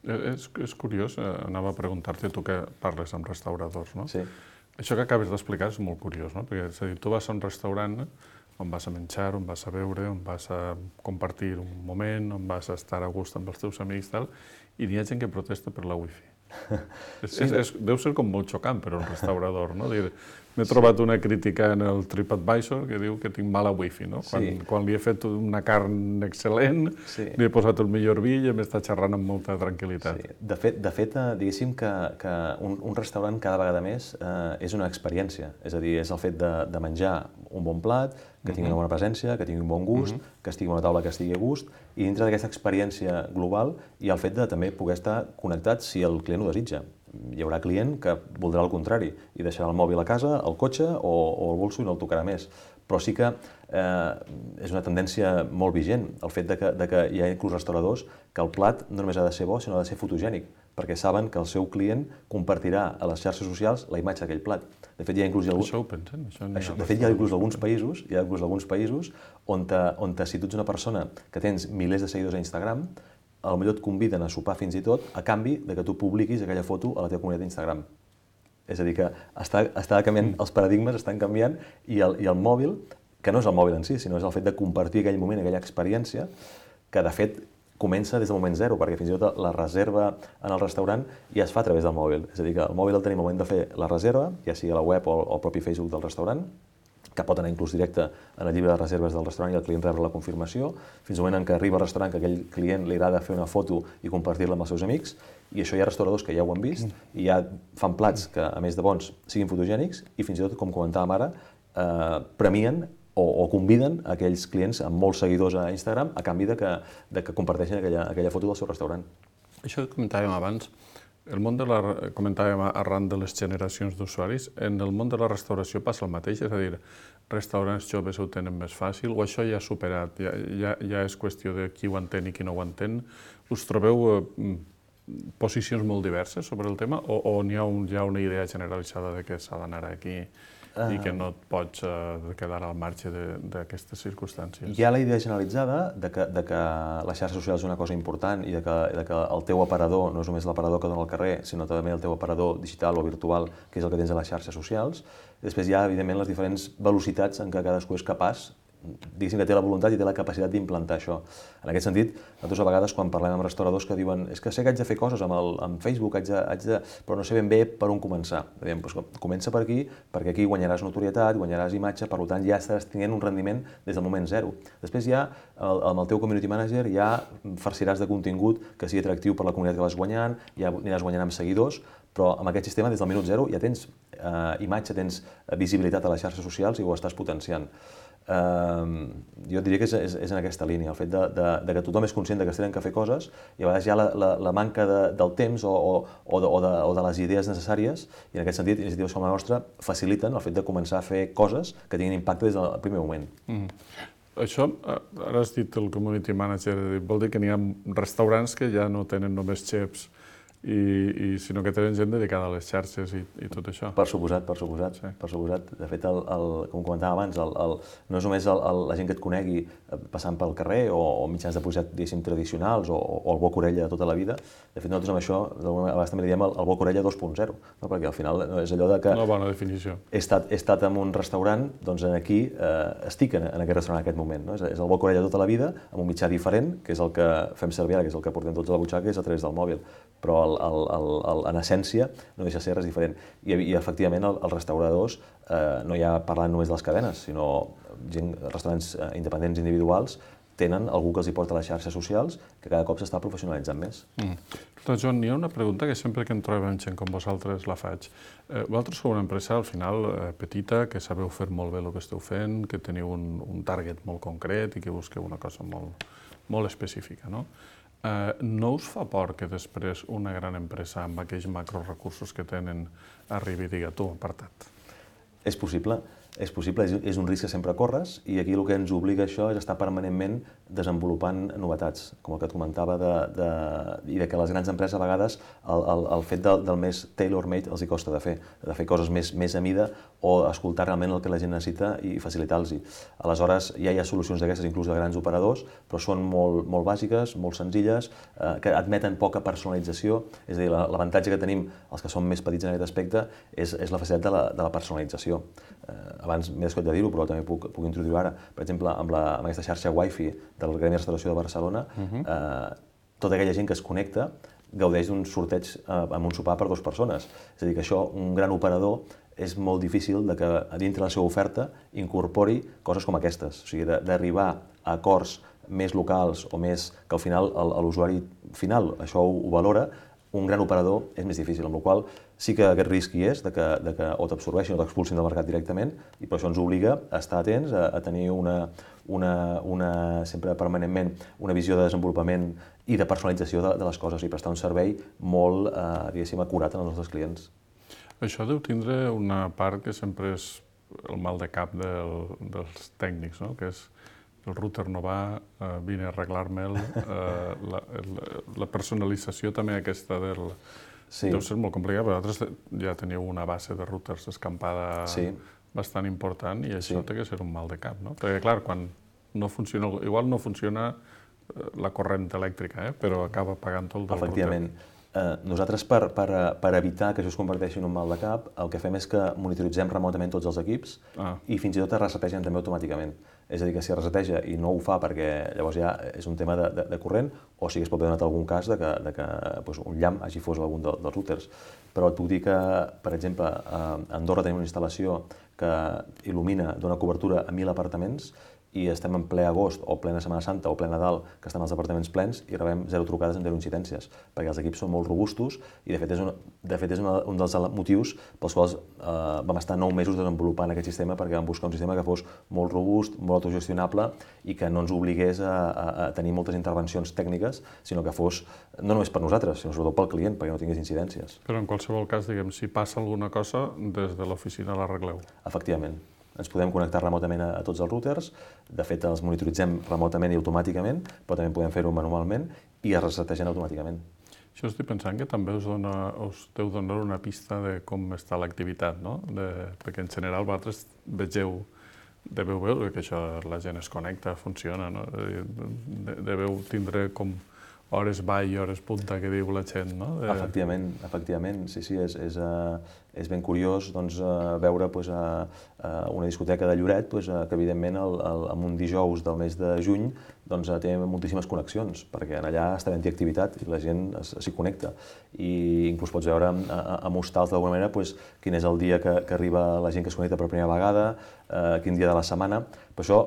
És curiós, anava a preguntar-te, tu que parles amb restauradors, no? Sí. Això que acabes d'explicar és molt curiós, no? Perquè, és a dir, tu vas a un restaurant on vas a menjar, on vas a beure, on vas a compartir un moment, on vas a estar a gust amb els teus amics, tal, i hi ha gent que protesta per la wifi. Deu ser com molt xocant per a un restaurador, no? M'he trobat una crítica en el TripAdvisor que diu que tinc mala wifi, no? Quan li he fet una carn excel·lent, li he posat el millor vi i m'està xerrant amb molta tranquil·litat. De fet, diguéssim que un restaurant cada vegada més és una experiència. És a dir, és el fet de menjar un bon plat, que tingui una bona presència, que tingui un bon gust, que estigui a una taula que estigui a gust, i dintre d'aquesta experiència global hi ha el fet de també poder estar connectats si el client ho desitja. Hi haurà client que voldrà el contrari i deixarà el mòbil a casa, el cotxe o el bolso i no el tocarà més. Però sí que és una tendència molt vigent el fet de que hi ha inclús restauradors que el plat no només ha de ser bo, sinó ha de ser fotogènic, perquè saben que el seu client compartirà a les xarxes socials la imatge d'aquell plat. De fet, hi ha inclús Això ho pensen? De fet, hi ha inclús alguns països on si tu ets una persona que tens milers de seguidors a Instagram, potser et conviden a sopar fins i tot a canvi de que tu publiquis aquella foto a la teva comunitat d'Instagram. És a dir, que està canviant, els paradigmes estan canviant i el mòbil, que no és el mòbil en si, sinó és el fet de compartir aquell moment, aquella experiència, que de fet comença des del moment zero, perquè fins i tot la reserva en el restaurant ja es fa a través del mòbil. És a dir, que el mòbil el tenim al moment de fer la reserva, ja sigui a la web o al propi Facebook del restaurant, que pot anar inclús directe en el llibre de reserves del restaurant i el client rebre la confirmació, fins al moment en què arriba al restaurant que aquell client li agrada fer una foto i compartir-la amb els seus amics, i això hi ha restauradors que ja ho han vist i ja fan plats que, a més de bons, siguin fotogènics i fins i tot, com comentàvem ara, premien o conviden aquells clients amb molts seguidors a Instagram a canvi de que comparteixin aquella foto del seu restaurant. Això que comentàvem abans, comentàvem arran de les generacions d'usuaris, en el món de la restauració passa el mateix, és a dir, restaurants joves ho tenen més fàcil, o això ja ha superat, ja és qüestió de qui ho entén i qui no ho entén. Us trobeu posicions molt diverses sobre el tema, o n'hi ha una idea generalitzada de que s'ha d'anar aquí i que no et pots quedar al marge d'aquestes circumstàncies? Hi ha la idea generalitzada de que les xarxes socials és una cosa important i de que el teu aparador no és només l'aparador que dona al carrer, sinó també el teu aparador digital o virtual, que és el que tens a les xarxes socials. Després hi ha, evidentment, les diferents velocitats en què cadascú és capaç, diguéssim que té la voluntat i té la capacitat d'implantar això. En aquest sentit, nosaltres a vegades quan parlem amb restauradors que diuen és que sé que haig de fer coses amb Facebook, però no sé ben bé per on començar. Diem, comença per aquí, perquè aquí guanyaràs notorietat, guanyaràs imatge, per tant ja estaràs tenint un rendiment des del moment zero. Després ja, amb el teu community manager, ja farciràs de contingut que sigui atractiu per la comunitat que vas guanyant, ja aniràs guanyant amb seguidors, però amb aquest sistema, des del minut zero, ja tens imatge, tens visibilitat a les xarxes socials i ho estàs potenciant. Jo diria que és en aquesta línia, el fet de que tothom és conscient que es tenen que fer coses i a vegades hi ha la manca del temps o de les idees necessàries, i en aquest sentit iniciatives com la nostra faciliten el fet de començar a fer coses que tinguin impacte des del primer moment. Això, ara has dit el community manager, vol dir que n'hi ha restaurants que ja no tenen només xefs sinó que tenen gent dedicada a les xarxes i tot això. Per suposat. De fet, com comentàvem abans, no és només la gent que et conegui passant pel carrer o mitjans de publicitat, diguéssim, tradicionals o el boca-orella de tota la vida. De fet, nosaltres amb això, a vegades també li diem el boca-orella 2.0, perquè al final és allò de que... Una bona definició. He estat en un restaurant, doncs aquí estic en aquest restaurant en aquest moment. És el boca-orella tota la vida, amb un mitjà diferent, que és el que fem servir ara, que és el que portem tots a la butxaca, que és a través del mòbil. Però en essència no deixa de ser res diferent. I efectivament els restauradors, no ja parlant només de les cadenes, sinó restaurants independents individuals, tenen algú que els hi porta a les xarxes socials que cada cop s'està professionalitzant més. Joan, hi ha una pregunta que sempre que em trobem gent com vosaltres la faig. Vosaltres sou una empresa, al final, petita, que sabeu fer molt bé el que esteu fent, que teniu un target molt concret i que busqueu una cosa molt específica, no? No us fa por que després una gran empresa amb aquells macrorecursos que tenen arribi i digui tu, apartat? És possible. És possible, és un risc que sempre corres i aquí el que ens obliga això és estar permanentment desenvolupant novetats, com el que et comentava i de que les grans empreses a vegades el fet del més tailor-made els hi costa de fer coses més a mida o escoltar realment el que la gent necessita i facilitar-los-hi. Aleshores, ja hi ha solucions d'aquestes, inclús de grans operadors, però són molt bàsiques, molt senzilles, que admeten poca personalització, és a dir, l'avantatge que tenim els que som més petits en aquest aspecte és la facilitat de la personalització. Abans m'he descuidat de dir-ho, però també puc introduir-ho ara. Per exemple, amb aquesta xarxa Wi-Fi del Gremi de Restauració de Barcelona, tota aquella gent que es connecta gaudeix d'un sorteig amb un sopar per 2 persones. És a dir, que això, un gran operador, és molt difícil que a dintre la seva oferta incorpori coses com aquestes. O sigui, d'arribar a acords més locals o més que al final l'usuari final això ho valora, un gran operador és més difícil, amb la qual cosa sí que aquest risc hi és, de que o t'absorbeixin o t'expulsin del mercat directament, i per això ens obliga a estar atents, a tenir sempre permanentment una visió de desenvolupament i de personalització de les coses i prestar un servei molt, diguéssim, acurat als nostres clients. Això deu tindre una part que sempre és el mal de cap dels tècnics, no? Que és el router no va, vine a arreglar-me'l, la personalització també aquesta del... Deu ser molt complicat, però vosaltres ja teniu una base de routers escampada bastant important i això té que ser un mal de cap, no? Perquè, clar, quan no funciona, igual no funciona la corrent elèctrica, però acaba pagant tot el del router. Efectivament. Nosaltres, per evitar que això es converteixi en un mal de cap, el que fem és que monitoritzem remotament tots els equips i fins i tot es resetegen també automàticament. És a dir, que si es reseteja i no ho fa perquè llavors ja és un tema de corrent, o sí que es pot haver donat algun cas de que un llamp hagi fos algun dels routers. Però et puc dir que, per exemple, a Andorra tenim una instal·lació que il·lumina, dona cobertura a 1.000 apartaments i estem en ple agost o plena Setmana Santa o ple Nadal, que estan els apartaments plens i rebem 0 trucades amb 0 incidències, perquè els equips són molt robustos i de fet és un dels motius pels quals vam estar 9 mesos desenvolupant aquest sistema, perquè vam buscar un sistema que fos molt robust, molt autogestionable i que no ens obligués a tenir moltes intervencions tècniques, sinó que fos no només per nosaltres, sinó sobretot pel client, perquè no tingués incidències. Però en qualsevol cas, diguem, si passa alguna cosa, des de l'oficina l'arregleu. Efectivament. Ens podem connectar remotament a tots els routers, de fet els monitoritzem remotament i automàticament, però també podem fer-ho manualment i es resetegen automàticament. Això estic pensant que també us deu donar una pista de com està l'activitat, no? Perquè en general vosaltres deveu veure que això la gent es connecta, funciona, no? Deveu tindre com hores ball i hores punta que diu la gent, no? Efectivament, sí, és ben curiós veure una discoteca de Lloret que evidentment en un dijous del mes de juny té moltíssimes connexions, perquè allà està havent-hi activitat i la gent s'hi connecta. I inclús pots veure amb hostals d'alguna manera quin és el dia que arriba la gent que es connecta per primera vegada, quin dia de la setmana. Per això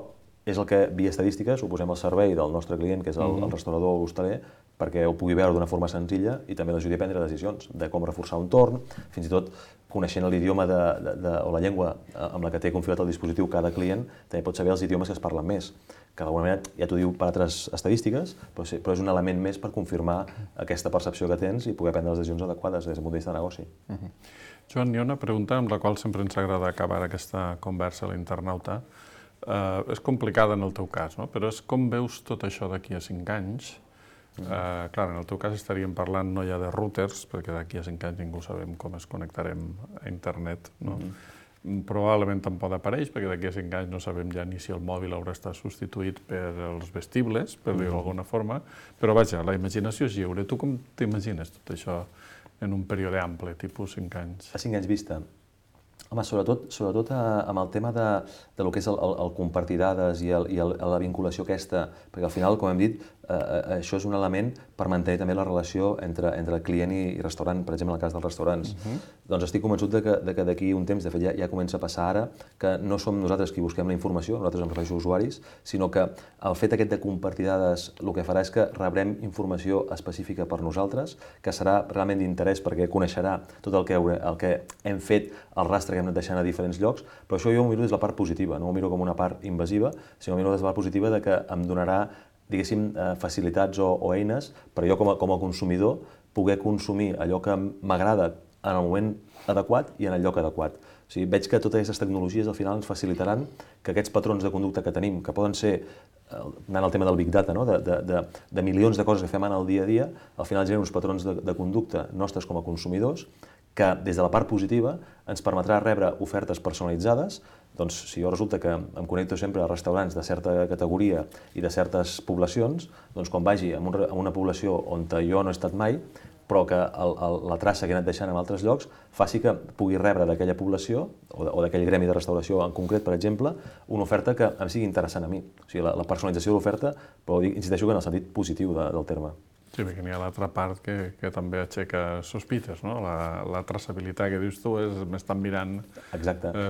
és el que, via estadístiques, ho posem al servei del nostre client, que és el restaurador o l'hostaler, perquè ho pugui veure d'una forma senzilla i també l'ajudi a prendre decisions de com reforçar un torn, fins i tot coneixent l'idioma o la llengua amb la que té configurat el dispositiu cada client, també pot saber els idiomes que es parlen més, que d'alguna manera ja t'ho diu per altres estadístiques, però és un element més per confirmar aquesta percepció que tens i poder prendre les decisions adequades des del punt de vista de negoci. Joan, hi ha una pregunta amb la qual sempre ens agrada acabar aquesta conversa a l'internauta. És complicada en el teu cas, no? Però és com veus tot això d'aquí a 5 anys. Clar, en el teu cas estaríem parlant no ja de routers, perquè d'aquí a 5 anys ningú sabem com es connectarem a internet, no? Probablement tampoc apareix, perquè d'aquí a 5 anys no sabem ja ni si el mòbil haurà estat substituït per els vestibles, per dir-ho d'alguna forma, però vaja, la imaginació és lliure. Tu com t'imagines tot això en un període ample, tipus 5 anys? A 5 anys vista? Home, sobretot amb el tema de lo que és el compartir dades i la vinculació aquesta, perquè al final, com hem dit, això és un element per mantenir també la relació entre client i restaurant, per exemple, en el cas dels restaurants. Doncs estic convençut de que d'aquí un temps, de fet ja comença a passar ara, que no som nosaltres qui busquem la informació, nosaltres em refereixo a usuaris, sinó que el fet aquest de compartir dades el que farà és que rebrem informació específica per nosaltres, que serà realment d'interès perquè coneixerà tot el que hem fet, el rastre que hem anat deixant a diferents llocs, però això jo ho miro des de la part positiva, no ho miro com una part invasiva, sinó ho miro des de la part positiva de que em donarà, diguéssim, facilitats o eines per jo com a consumidor poder consumir allò que m'agrada en el moment adequat i en el lloc adequat. O sigui, veig que totes aquestes tecnologies al final ens facilitaran que aquests patrons de conducta que tenim, que poden ser, anant al tema del Big Data, no? de milions de coses que fem en el dia a dia, al final generen uns patrons de conducta nostres com a consumidors que, des de la part positiva, ens permetrà rebre ofertes personalitzades. Doncs, si jo resulta que em connecto sempre a restaurants de certa categoria i de certes poblacions, doncs quan vagi a una població on jo no he estat mai, però que la traça que he anat deixant en altres llocs faci que pugui rebre d'aquella població o d'aquell gremi de restauració en concret, per exemple, una oferta que em sigui interessant a mi. O sigui, la personalització de l'oferta, però insisteixo que en el sentit positiu del terme. Sí, perquè n'hi ha l'altra part que també aixeca sospites, no? La traçabilitat que dius tu és m'estan mirant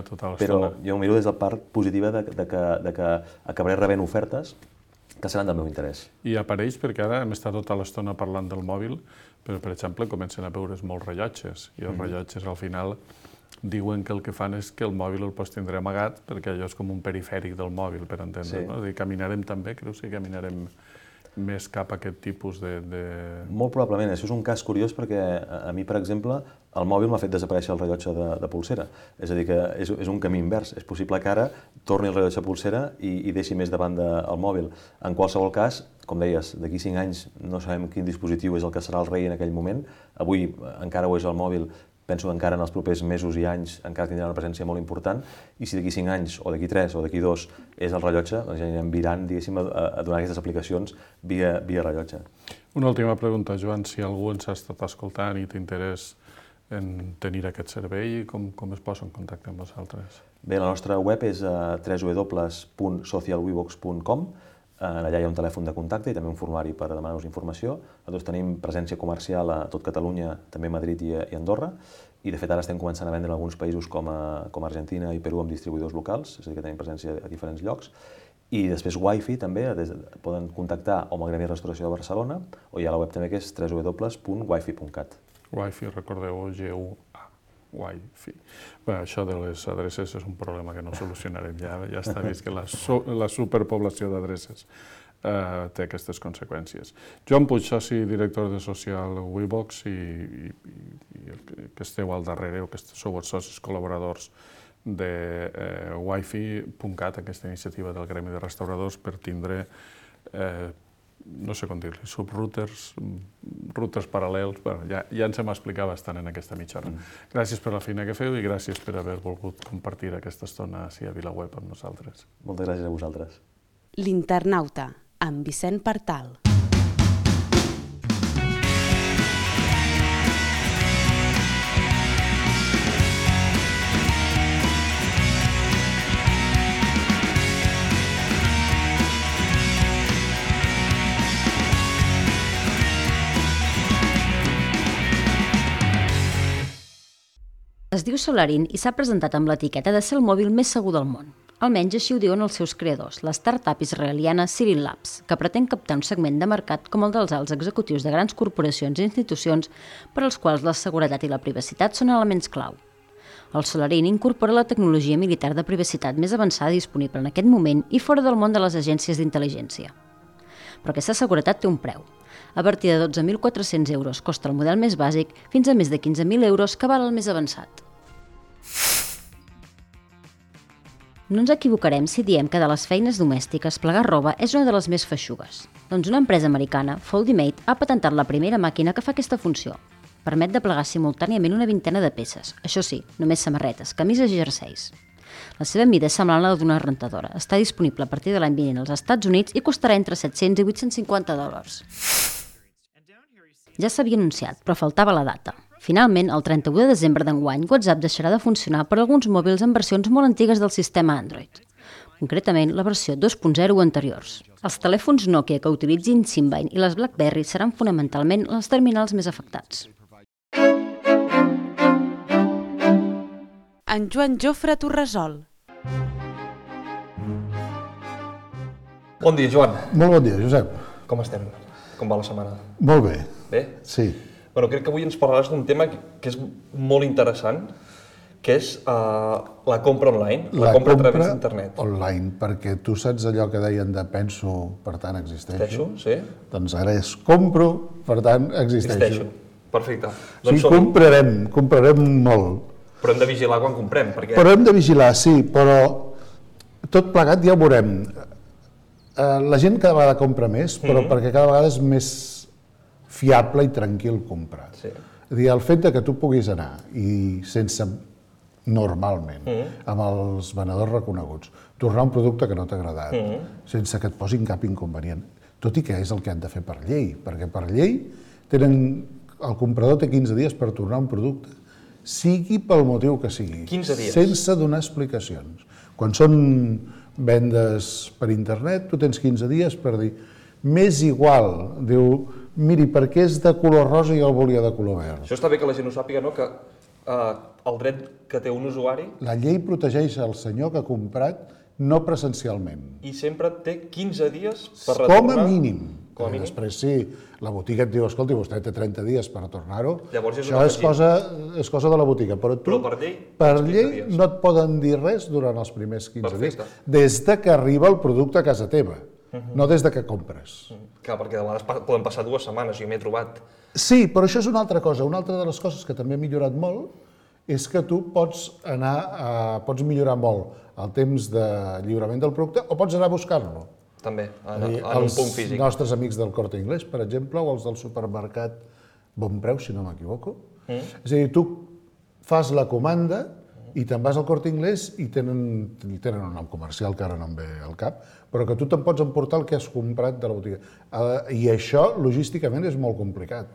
tota l'estona. Però jo ho miro des de la part positiva de que acabaré rebent ofertes que seran del meu interès. I apareix, perquè ara hem estat tota l'estona parlant del mòbil, però, per exemple, comencen a veure's molts rellotges, i els rellotges, al final, diuen que el que fan és que el mòbil el pots tindre amagat, perquè allò és com un perifèric del mòbil, per entendre, no? És a dir, caminarem també, creus que caminarem més cap a aquest tipus de... Molt probablement. Això és un cas curiós perquè a mi, per exemple, el mòbil m'ha fet desaparèixer el rellotge de polsera. És a dir, que és un camí invers. És possible que ara torni el rellotge de polsera i deixi més de banda el mòbil. En qualsevol cas, com deies, d'aquí 5 anys no sabem quin dispositiu és el que serà el rei en aquell moment. Avui encara ho és el mòbil. Penso que encara en els propers mesos i anys encara tindrà una presència molt important, i si d'aquí 5 anys, o d'aquí 3, o d'aquí 2 és el rellotge, doncs ja anirem virant, diguéssim, a donar aquestes aplicacions via rellotge. Una última pregunta, Joan, si algú ens ha estat escoltant i té interès en tenir aquest servei, com es posa en contacte amb vosaltres? Bé, la nostra web és www.socialwibox.com. Allà hi ha un telèfon de contacte i també un formulari per demanar-nos informació. Nosaltres tenim presència comercial a tot Catalunya, també a Madrid i Andorra, i de fet ara estem començant a vendre en alguns països com Argentina i Perú amb distribuïdors locals, és a dir, que tenim presència a diferents llocs. I després Wi-Fi també, poden contactar o amb el Gremi de Restauració de Barcelona, o hi ha la web també que és www.wifi.cat. Wi-Fi, recordeu, G-U-A. Wi-Fi. Bé, això de les adreces és un problema que no solucionarem, ja està vist que la superpoblació d'adreces té aquestes conseqüències. Joan Puig, soci director de Social WeBox i que esteu al darrere, o que sou els socis col·laboradors de Wifi.cat, aquesta iniciativa del Gremi de Restauradors per tindre no sé com dir-li, subrouters, routers paral·lels, ja ens hem explicat bastant en aquesta mitja hora. Gràcies per la feina que feu i gràcies per haver volgut compartir aquesta estona a VilaWeb amb nosaltres. Moltes gràcies a vosaltres. L'Internauta, amb Vicent Partal. Es diu Solarin i s'ha presentat amb l'etiqueta de ser el mòbil més segur del món. Almenys així ho diuen els seus creadors, la startup israeliana Sirin Labs, que pretén captar un segment de mercat com el dels alts executius de grans corporacions i institucions per als quals la seguretat i la privacitat són elements clau. El Solarin incorpora la tecnologia militar de privacitat més avançada disponible en aquest moment i fora del món de les agències d'intel·ligència. Però aquesta seguretat té un preu. A partir de 12.400 euros costa el model més bàsic fins a més de 15.000 euros que val el més avançat. No ens equivocarem si diem que de les feines domèstiques plegar roba és una de les més feixugues. Doncs una empresa americana, Foldimate, ha patentat la primera màquina que fa aquesta funció. Permet de plegar simultàniament una vintena de peces, això sí, només samarretes, camises i jerseis. La seva mida és semblant a la d'una rentadora. Està disponible a partir de l'any vinent als Estats Units i costarà entre $700 i $850. Ja s'havia anunciat, però faltava la data. Finalment, el 31 de desembre d'enguany, WhatsApp deixarà de funcionar per alguns mòbils en versions molt antigues del sistema Android. Concretament, la versió 2.0 anteriors. Els telèfons Nokia que utilitzin Symbian i les BlackBerry seran fonamentalment els terminals més afectats. En Joan Jofre Torresol. Bon dia, Joan. Molt bon dia, Josep. Com estem? Com va la setmana? Molt bé. Bé? Sí. Bueno, crec que avui ens parlaràs d'un tema que és molt interessant, que és la compra online, la compra a través d'internet. Online, perquè tu saps allò que deien de penso, per tant existeixo? Sí. Doncs ara és compro, per tant existeixo. Perfecte. O sigui, comprarem molt. Però hem de vigilar quan comprem, perquè... Però hem de vigilar, sí, però tot plegat ja ho veurem. La gent cada vegada compra més, però perquè cada vegada és més fiable i tranquil comprar. Sí. És a dir, el fet que tu puguis anar i sense, normalment, amb els venedors reconeguts, tornar un producte que no t'ha agradat, sense que et posin cap inconvenient, tot i que és el que han de fer per llei, perquè per llei el comprador té 15 dies per tornar un producte, sigui pel motiu que sigui, 15 dies. Sense donar explicacions. Quan són vendes per internet, tu tens 15 dies per dir, m'és igual, diu, miri, perquè és de color rosa i el volia de color verd. Això està bé que la gent ho sàpiga, no? Que el dret que té un usuari... La llei protegeix el senyor que ha comprat no presencialment. I sempre té 15 dies per retornar... Com a mínim. Com a mínim. Després, sí, la botiga et diu, escolti, vostè té 30 dies per tornar-ho. Llavors és això és cosa de la botiga. Però tu, Però per llei no et poden dir res durant els primers 15 Perfecte. dies, des de que arriba el producte a casa teva, no des de que compres. Clar, perquè de vegades poden passar 2 setmanes, jo m'he trobat. Sí, però això és una altra cosa. Una altra de les coses que també ha millorat molt és que tu pots millorar molt el temps de lliurament del producte o pots anar a buscar-lo. També, en un punt físic. Els nostres amics del Corte Inglés, per exemple, o els del supermercat Bon Preu, si no m'equivoco. És a dir, tu fas la comanda i te'n vas al Corte Inglés i tenen un nom comercial que ara no em ve al cap, però que tu te'n pots emportar el que has comprat de la botiga. I això, logísticament, és molt complicat.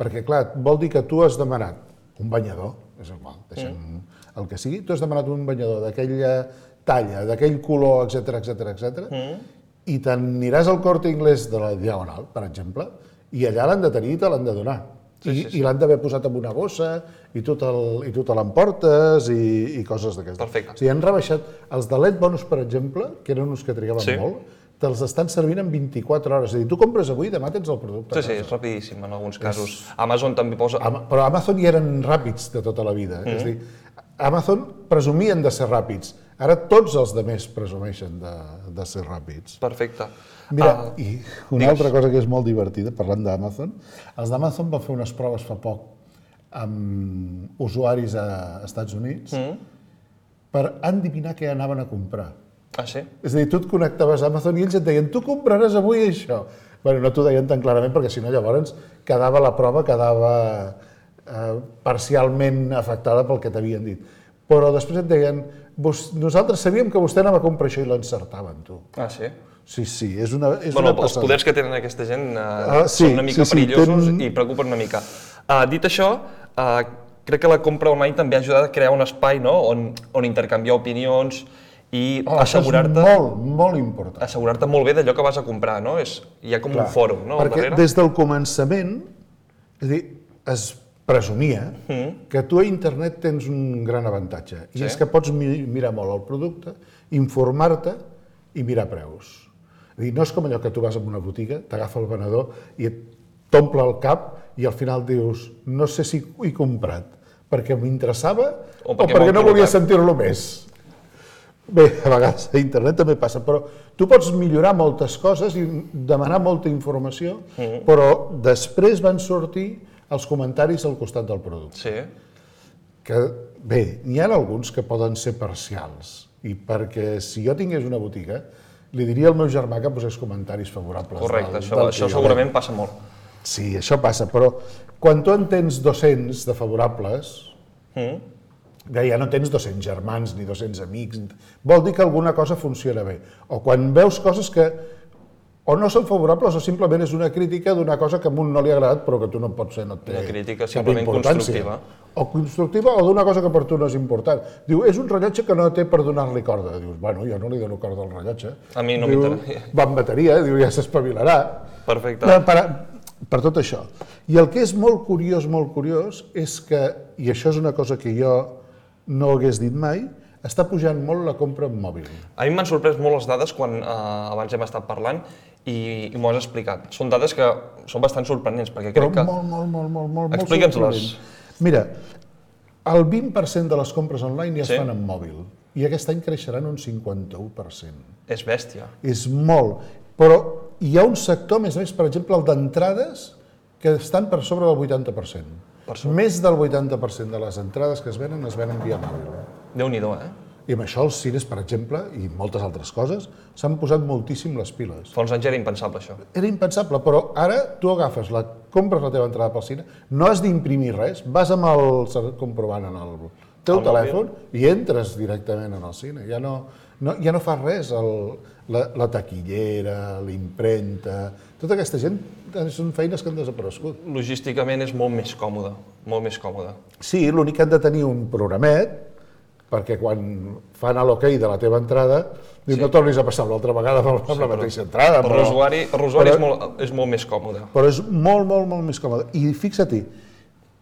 Perquè, clar, vol dir que tu has demanat un banyador, és igual, deixem el que sigui, tu has demanat un banyador d'aquella talla, d'aquell color, etc, i t'aniràs al Corte Inglés de la Diagonal, per exemple, i allà l'han de tenir i te l'han de donar. I l'han d'haver posat en una bossa, i tu te l'emportes, i coses d'aquestes. Perfecte. O sigui, han rebaixat els de LED Bonus, per exemple, que eren uns que trigaven molt, te'ls estan servint en 24 hores. És a dir, tu compres avui i demà tens el producte. Sí, és rapidíssim en alguns casos. Amazon també posa... Però Amazon ja eren ràpids de tota la vida. És a dir, Amazon presumien de ser ràpids. Ara tots els altres presumeixen de ser ràpids. Perfecte. Mira, i una altra cosa que és molt divertida, parlant d'Amazon, els d'Amazon van fer unes proves fa poc amb usuaris a Estats Units per endevinar què anaven a comprar. Ah, sí? És a dir, tu et connectaves a Amazon i ells et deien, tu compraràs avui això. Bé, no t'ho deien tan clarament perquè si no llavors la prova quedava parcialment afectada pel que t'havien dit. Però després et deien, nosaltres sabíem que vostè anava a comprar això i l'encertaven, tu. Ah, sí? Sí, és una Bueno, els poders que tenen aquesta gent són una mica perillosos i preocupen una mica. Dit això, crec que la compra online també ha ajudat a crear un espai on intercanviar opinions i assegurar-te... Això és molt important. Assegurar-te molt bé d'allò que vas a comprar, no? Hi ha com un fòrum, no? Perquè des del començament, és a dir, es presumia que tu a internet tens un gran avantatge, i és que pots mirar molt el producte, informar-te i mirar preus. És a dir, no és com allò que tu vas a una botiga, t'agafa el venedor i t'omple el cap i al final dius, no sé si ho he comprat, perquè m'interessava o perquè no volia sentir-lo més. Bé, a vegades a internet també passa, però tu pots millorar moltes coses i demanar molta informació, però després van sortir els comentaris al costat del producte. Sí. Que, bé, n'hi ha alguns que poden ser parcials, i perquè si jo tingués una botiga, li diria al meu germà que posés comentaris favorables. Correcte, això segurament passa molt. Sí, això passa, però quan tu en tens 200 de favorables, ja no tens 200 germans ni 200 amics, vol dir que alguna cosa funciona bé. O quan veus coses que o no són favorables o simplement és una crítica d'una cosa que a un no li ha agradat però que tu no pots ser, no té una crítica cap simplement importància. constructiva. O constructiva o d'una cosa que per tu no és important. Diu, és un rellotge que no té per donar-li corda. Dius, bueno, jo no li dono corda al rellotge. A mi no m'interessa. Va amb bateria, diu, ja s'espavilarà. Perfecte. Per tot això. I el que és molt curiós és que, i això és una cosa que jo no hagués dit mai, està pujant molt la compra en mòbil. A mi m'han sorprès molt les dades quan abans hem estat parlant i m'ho has explicat. Són dades que són bastant sorprenents, perquè crec que... Molt Explica'ns-les. Mira, el 20% de les compres online ja es fan en mòbil i aquest any creixeran un 51%. És bèstia. És molt, però hi ha un sector, a més, per exemple, el d'entrades que estan per sobre del 80%. Més del 80% de les entrades que es venen via mòbil. Déu-n'hi-do, I amb això els cines, per exemple, i moltes altres coses, s'han posat moltíssim les piles. Fa uns anys era impensable, això. Era impensable, però ara tu agafes, compres la teva entrada pel cine, no has d'imprimir res, vas amb el comprovant en el teu telèfon i entres directament en el cine. Ja no fas res, la taquillera, l'impremta, tota aquesta gent són feines que han desaparegut. Logísticament és molt més còmode, molt més còmode. Sí, l'únic que han de tenir un programet, perquè quan fan l'ok de la teva entrada, no tornis a passar l'altra vegada amb la mateixa entrada. Per l'usuari és molt més còmode. Però és molt, molt, molt més còmode. I fixa-t'hi,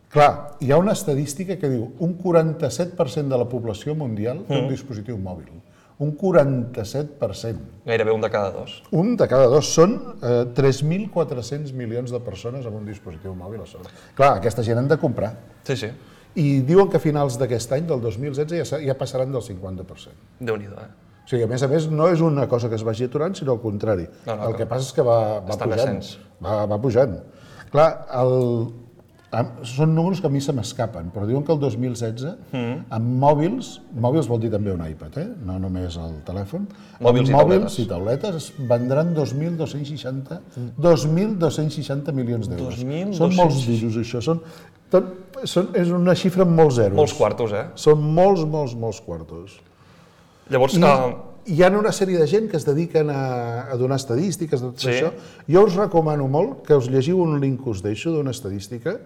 clar, hi ha una estadística que diu un 47% de la població mundial té un dispositiu mòbil. Un 47%. Gairebé un de cada dos. Un de cada dos. Són 3.400 milions de persones amb un dispositiu mòbil a sobre. Clar, aquesta gent han de comprar. Sí, sí. I diuen que a finals d'aquest any, del 2016, ja passaran del 50%. Déu-n'hi-do, O sigui, a més, no és una cosa que es vagi aturant, sinó al contrari. El que passa és que va pujant. Va pujant. Clar, són números que a mi se m'escapen, però diuen que el 2016, amb mòbils vol dir també un iPad, no només el telèfon, mòbils i tauletes es vendran 2.260 milions d'euros. Són molts duros, això. És una xifra amb molts zeros. Molts quartos, Són molts quartos. Llavors, hi ha una sèrie de gent que es dediquen a donar estadístiques de tot això. Jo us recomano molt que us llegiu un link que us deixo d'una estadística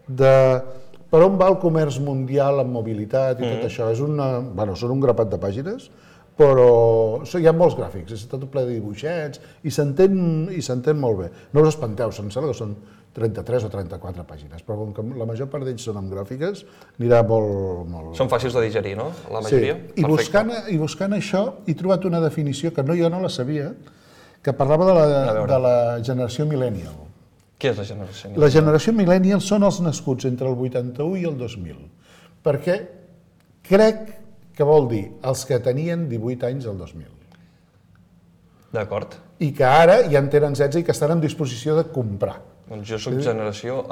de per on va el comerç mundial amb mobilitat i tot això. Són un grapat de pàgines, però hi ha molts gràfics, és tot ple de dibuixets i s'entén molt bé. No us espanteu, em sembla que són 33 o 34 pàgines, però com que la major part d'ells són amb gràfiques, anirà molt... Són fàcils de digerir, no? La majoria? Sí, i buscant això he trobat una definició que jo no la sabia, que parlava de la generació millennial. Què és la generació millennial? La generació millennial són els nascuts entre el 81 i el 2000, perquè crec que vol dir els que tenien 18 anys el 2000. D'acord. I que ara ja en tenen 16 i que estan en disposició de comprar. Doncs jo soc generació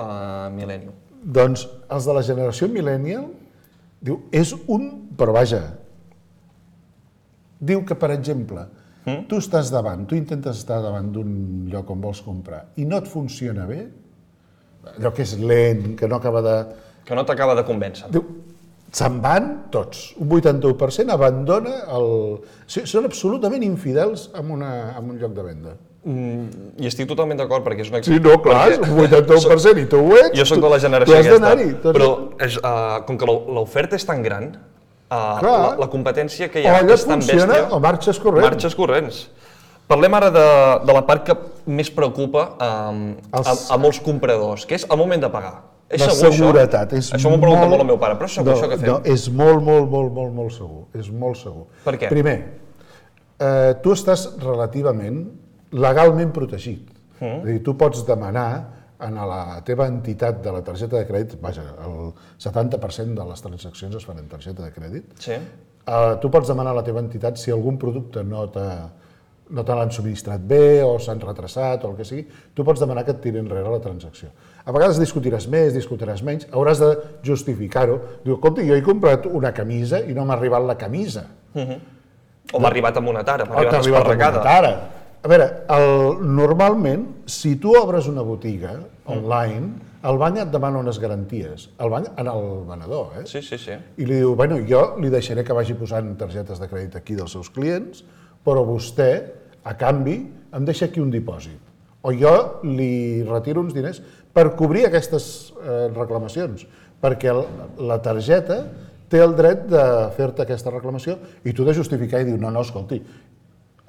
millennial. Doncs els de la generació millennial, diu, és un... Però vaja, diu que, per exemple, tu intentes estar davant d'un lloc on vols comprar i no et funciona bé, allò que és lent, que no acaba de... Que no t'acaba de convèncer. Diu, se'n van tots. Un 81% abandona són absolutament infidels en un lloc de venda. I estic totalment d'acord, perquè és una... Sí, no, clar, un 81% i tu ho ets. Jo soc de la generació aquesta, però com que l'oferta és tan gran, la competència que hi ha és tan bèstia... O allò funciona o marxes corrents. Marxes corrents. Parlem ara de la part que més preocupa a molts compradors, que és el moment de pagar. La seguretat. Això m'ho pregunta molt el meu pare, però és segur això que fem? No, és molt segur. És molt segur. Per què? Primer, tu estàs relativament legalment protegit. És a dir, tu pots demanar a la teva entitat de la targeta de crèdit, vaja, el 70% de les transaccions es fan en targeta de crèdit, tu pots demanar a la teva entitat si algun producte no te l'han subministrat bé o s'han retrasat o el que sigui, tu pots demanar que et tiri enrere la transacció. A vegades discutiràs més, discutiràs menys, hauràs de justificar-ho. Diu, escolta, jo he comprat una camisa i no m'ha arribat la camisa. O m'ha arribat amb una tara, m'ha arribat esparracada. A veure, normalment, si tu obres una botiga online, el banc et demana unes garanties. El banc en el venedor, Sí. I li diu, bueno, jo li deixaré que vagi posant targetes de crèdit aquí dels seus clients, però vostè, a canvi, em deixa aquí un dipòsit. O jo li retiro uns diners per cobrir aquestes reclamacions, perquè la targeta té el dret de fer-te aquesta reclamació i tu de justificar i dir, no, escolti,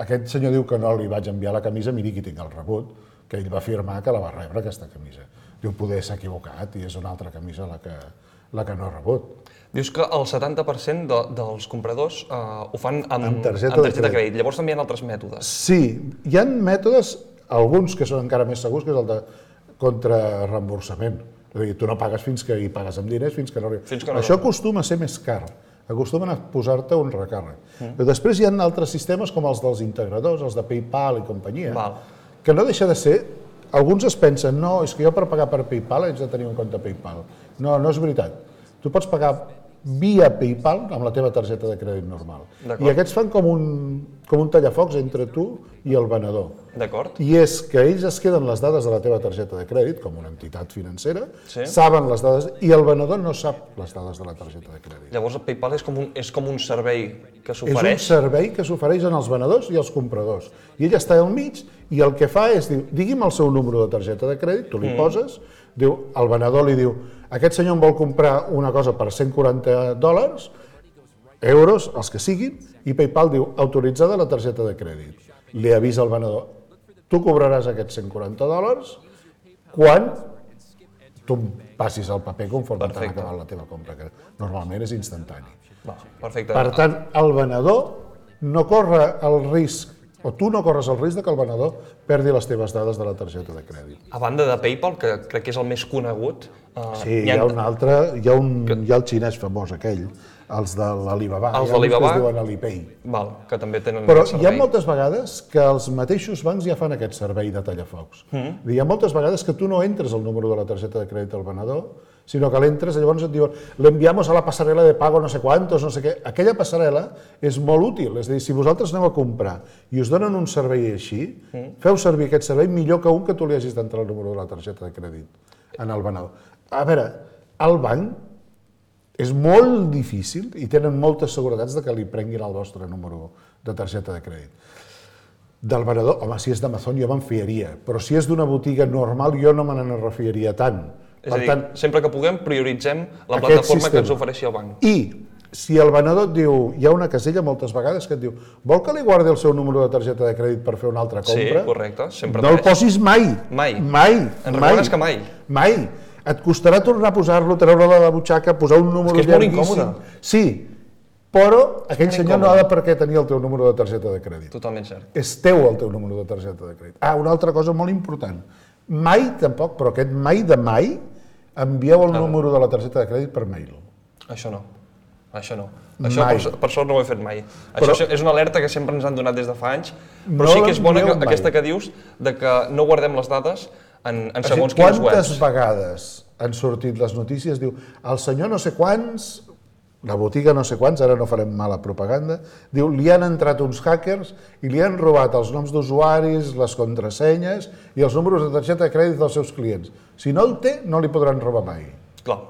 aquest senyor diu que no li vaig enviar la camisa, miri qui tinc el rebut, que ell va afirmar que la va rebre aquesta camisa. Diu, poder s'ha equivocat i és una altra camisa la que no ha rebut. Dius que el 70% dels compradors ho fan amb targeta de crèdit. Llavors també hi ha altres mètodes. Sí, hi ha mètodes, alguns que són encara més segurs, que és el de contrarreemborsament. És a dir, tu no pagues fins que hi pagues amb diners, fins que no arriba. Això acostuma a ser més car, acostumen a posar-te un recàrrec. Però després hi ha altres sistemes com els dels integradors, els de PayPal i companyia, que no deixa de ser alguns es pensen, no, és que jo per pagar per PayPal haig de tenir un compte PayPal. No, no és veritat. Tu pots pagar via PayPal amb la teva targeta de crèdit normal. I aquests fan com un tallafocs entre tu i el venedor. D'acord. I és que ells es queden les dades de la teva targeta de crèdit, com una entitat financera, saben les dades, i el venedor no sap les dades de la targeta de crèdit. Llavors el PayPal és com un servei que s'ofereix? És un servei que s'ofereix als venedors i als compradors. I ell està al mig i el que fa és, digui'm el seu número de targeta de crèdit, tu li poses, el venedor li diu, aquest senyor em vol comprar una cosa per $140, euros, els que siguin, i PayPal diu, autoritzada la targeta de crèdit. Li avisa al venedor, tu cobraràs aquests $140 quan tu passis el paper conforme t'han acabat la teva compra, que normalment és instantani. Perfecte. Per tant, el venedor no corre el risc, o tu no corres el risc que el venedor perdi les teves dades de la targeta de crèdit. A banda de PayPal, que crec que és el més conegut... Sí, hi ha un altre, hi ha el xinès famós aquell, els de l'Alibaba, els d'Alibaba, que es diuen Alipay. Que també tenen Però aquest servei. hi ha moltes vegades que els mateixos bancs ja fan aquest servei de tallafocs. Hi ha moltes vegades que tu no entres el número de la targeta de crèdit al venedor, sinó que l'entres i llavors et diuen l'enviamos a la passarel·la de pago no sé quantos, no sé què. Aquella passarel·la és molt útil, és a dir, si vosaltres aneu a comprar i us donen un servei així, feu servir aquest servei millor que un que tu li hagis d'entrar el número de la targeta de crèdit en el venedor. A veure, el banc és molt difícil i tenen moltes seguretats de que li prenguin el vostre número de targeta de crèdit. Del venedor, home, si és d'Amazon jo me'n fiaria, però si és d'una botiga normal jo no me n'en refiaria tant. És a dir, sempre que puguem prioritzem la plataforma que ens ofereixi el banc. I si el venedor et diu, hi ha una casella moltes vegades que et diu vol que li guardi el seu número de targeta de crèdit per fer una altra compra? Sí, correcte, sempre no el posis mai. Mai. Mai. En recordes que mai. Mai. Et costarà tornar a posar-lo, treure-lo de la butxaca, posar un número llarguíssim. És que és molt incòmode. Sí, però aquell senyor no ha de per què tenir el teu número de targeta de crèdit. Totalment cert. És teu el teu número de targeta de crèdit. Una altra cosa molt important. Mai tampoc, però aquest mai de mai, envieu el número de la targeta de crèdit per mail. Això no. Això per sort no ho he fet mai. Això és una alerta que sempre ens han donat des de fa anys, però sí que és bona aquesta que dius de que no guardem les dades en segons quines webs. Quantes vegades han sortit les notícies, diu, el senyor no sé quants, la botiga no sé quants, ara no farem mala propaganda, diu, li han entrat uns hackers i li han robat els noms d'usuaris, les contrasenyes i els números de targeta de crèdit dels seus clients. Si no el té, no li podran robar mai. Clar.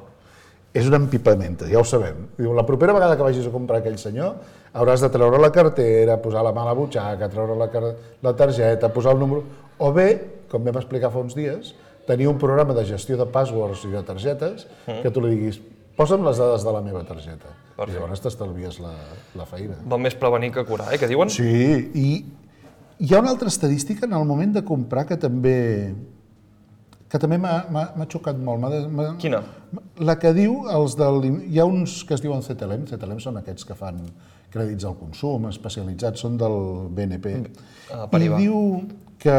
És una empipamenta, ja ho sabem. Diu, la propera vegada que vagis a comprar aquell senyor, hauràs de treure la cartera, posar la mà a la butxaca, treure la targeta, posar el número... O bé, com vam explicar fa uns dies, tenir un programa de gestió de passwords i de targetes que tu li diguis, posa'm les dades de la meva targeta. I llavors t'estalvies la feina. Val més prevenir que curar, què diuen? Sí, i hi ha una altra estadística en el moment de comprar que també m'ha xocat molt. Quina? La que diu, hi ha uns que es diuen CTLM, CTLM són aquests que fan crèdits al consum, especialitzats, són del BNP, i diu que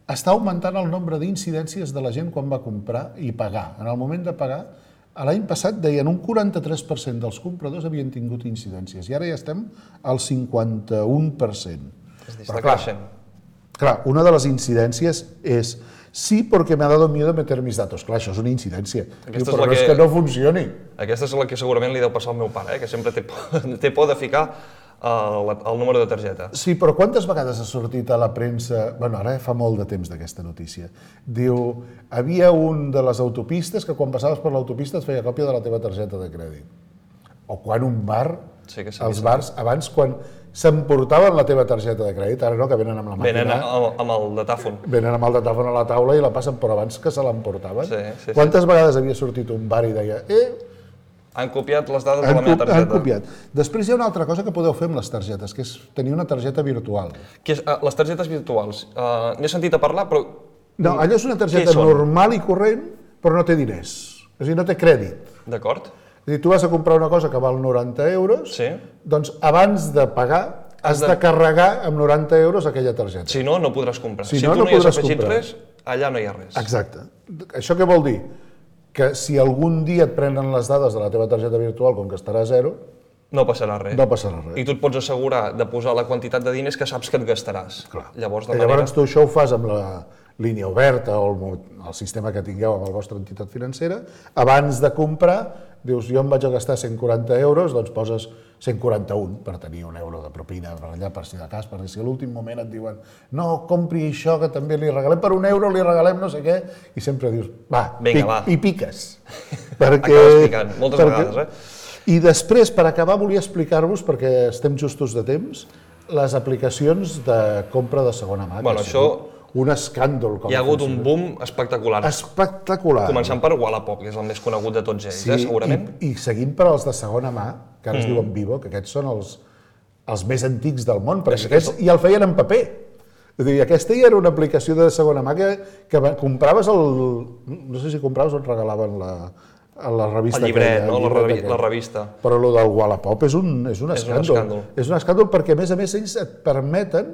està augmentant el nombre d'incidències de la gent quan va comprar i pagar. En el moment de pagar, l'any passat deien un 43% dels compradors havien tingut incidències i ara ja estem al 51%. Està creixent. Clar, una de les incidències és sí, perquè me ha dado miedo meter mis datos. Clar, això és una incidència. Però no és que no funcioni. Aquesta és la que segurament li deu passar al meu pare, que sempre té por de ficar el número de targeta. Sí, però quantes vegades ha sortit a la premsa... Bueno, ara fa molt de temps d'aquesta notícia. Diu, havia un de les autopistes que quan passaves per l'autopista et feia còpia de la teva targeta de crèdit. O quan un bar, els bars, abans quan s'emportaven la teva targeta de crèdit, ara no, que venen amb la màquina. Venen amb el datàfon. Venen amb el datàfon a la taula i la passen, però abans que se l'emportaven. Quantes vegades havia sortit un bar i deia han copiat les dades de la meva targeta. Han copiat. Després hi ha una altra cosa que podeu fer amb les targetes, que és tenir una targeta virtual. Les targetes virtuals. N'he sentit a parlar, però... No, allò és una targeta normal i corrent, però no té diners. És a dir, no té crèdit. D'acord. És a dir, tu vas a comprar una cosa que val 90 euros, doncs abans de pagar has de carregar amb 90 euros aquella targeta. Si no, no podràs comprar. Si tu no hi has afegit res, allà no hi ha res. Exacte. Això què vol dir? Que si algun dia et prenen les dades de la teva targeta virtual, com que estarà a zero, no passarà res. No passarà res. I tu et pots assegurar de posar la quantitat de diners que saps que et gastaràs. Clar. Llavors tu això ho fas amb línia oberta o el sistema que tingueu amb la vostra entitat financera, abans de comprar, dius, jo em vaig a gastar 140 euros, doncs poses 141 per tenir €1 de propina per allà, per si de cas, perquè si a l'últim moment et diuen no, compri això que també li regalem per €1, li regalem no sé què, i sempre dius, va, i piques. Acabes picant, moltes vegades, I després, per acabar, volia explicar-vos, perquè estem justos de temps, les aplicacions de compra de segona mà. Bueno, això... Un escàndol. Hi ha hagut un boom espectacular. Espectacular. Començant per Wallapop, que és el més conegut de tots ells, segurament. I seguint per als de segona mà, que ara es diuen Vivo, que aquests són els més antics del món, perquè aquests ja el feien en paper. És a dir, aquesta ja era una aplicació de segona mà que compraves no sé si compraves o et regalaven la revista. El llibret, no? La revista. Però el del Wallapop és un escàndol. És un escàndol perquè, a més, ells et permeten.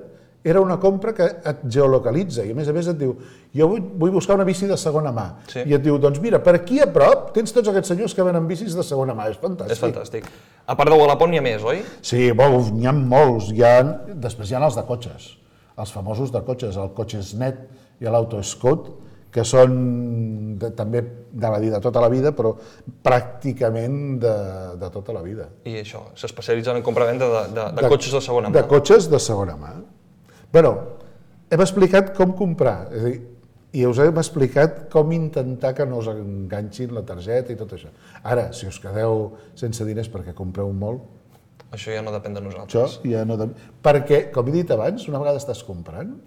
Era una compra que et geolocalitza i a més et diu, jo vull buscar una bici de segona mà. I et diu, doncs mira, per aquí a prop tens tots aquests senyors que venen bicis de segona mà. És fantàstic. És fantàstic. A part de Wallapop n'hi ha més, oi? Sí, n'hi ha molts. Després hi ha els de cotxes, els famosos de cotxes, el Cotxesnet i l'Autoscout, que són també, anava a dir, de tota la vida, però pràcticament de tota la vida. I això, s'especialitzen en compra-venda de cotxes de segona mà. De cotxes de segona mà. Bé, hem explicat com comprar, és a dir, i us hem explicat com intentar que no us enganxin la targeta i tot això. Ara, si us quedeu sense diners perquè compreu molt... Això ja no depèn de nosaltres. Això ja no depèn... Perquè, com he dit abans, una vegada estàs comprant,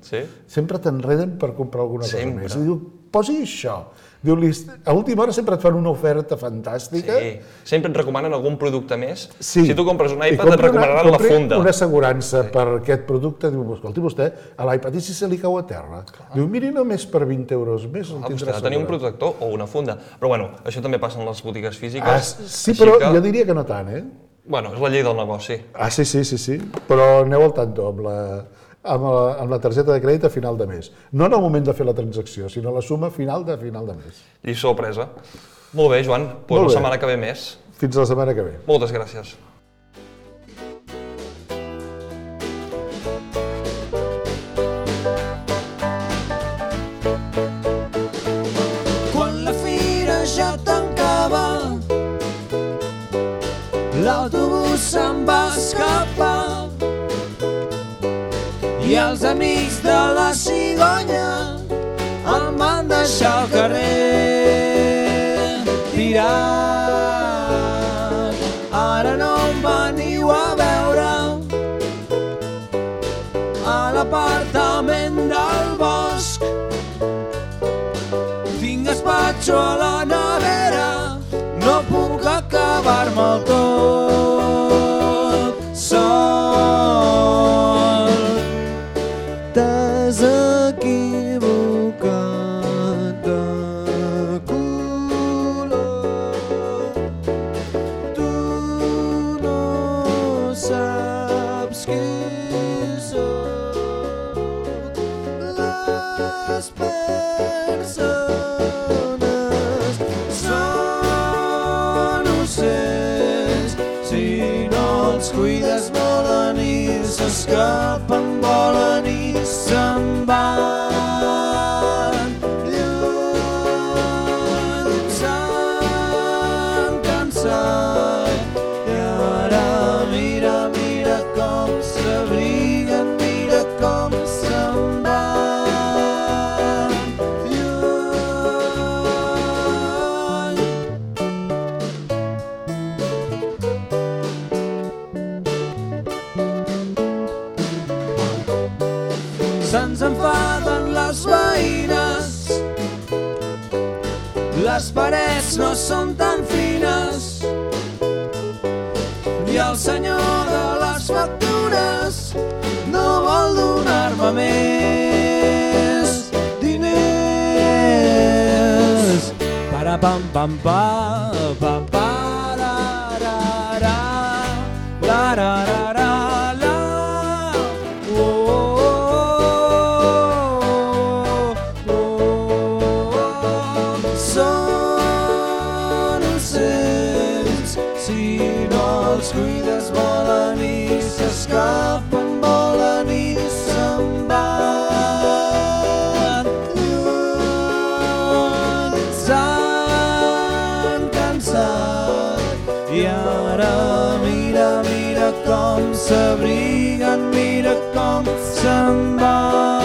sempre t'enreden per comprar alguna cosa més. I diu, posi això. Diu, a última hora sempre et fan una oferta fantàstica. Sí, sempre et recomanen algun producte més. Si tu compres un iPad et recomanaran la funda. Una assegurança per aquest producte, diu, escolti vostè, a l'iPad i si se li cau a terra? Diu, miri, només per 20 euros més el tindrà assegurat. Vostè ha de tenir un protector o una funda. Però bueno, això també passa en les botigues físiques. Sí, però jo diria que no tant, Bueno, és la llei del negoci. Sí, però aneu al tanto amb la targeta de crèdit a final de mes. No en el moment de fer la transacció, sinó la suma final de mes. Lliçó presa. Molt bé, Joan, doncs la setmana que ve més. Fins la setmana que ve. Moltes gràcies. Quan la fira ja tancava, l'autobús se'n va escapar i els amics de la cigonya em van deixar al carrer tirat. Ara no em veniu a veure a l'apartament del bosc. Tinc gaspatxo a la nevera, no puc acabar-me'l tot sol. T'has equivocat de color. Tu no saps qui sóc. Les persones són ocells, si no els cuides volen i s'escapen, volen i se'n van lluny, s'han cansat i ara mira com s'abriguen, mira com se'n van lluny. Se'ns enfaden les veïnes, les parets no són tan fines i el senyor de les factures no vol donar-me més diners. Para-pam, pam, pa, pa, pa, ra, ra, ra, la, ra, ra, ra. Cuides volen i s'escapen, volen i se'n van lluny. com s'abriguen, mira com se'n van.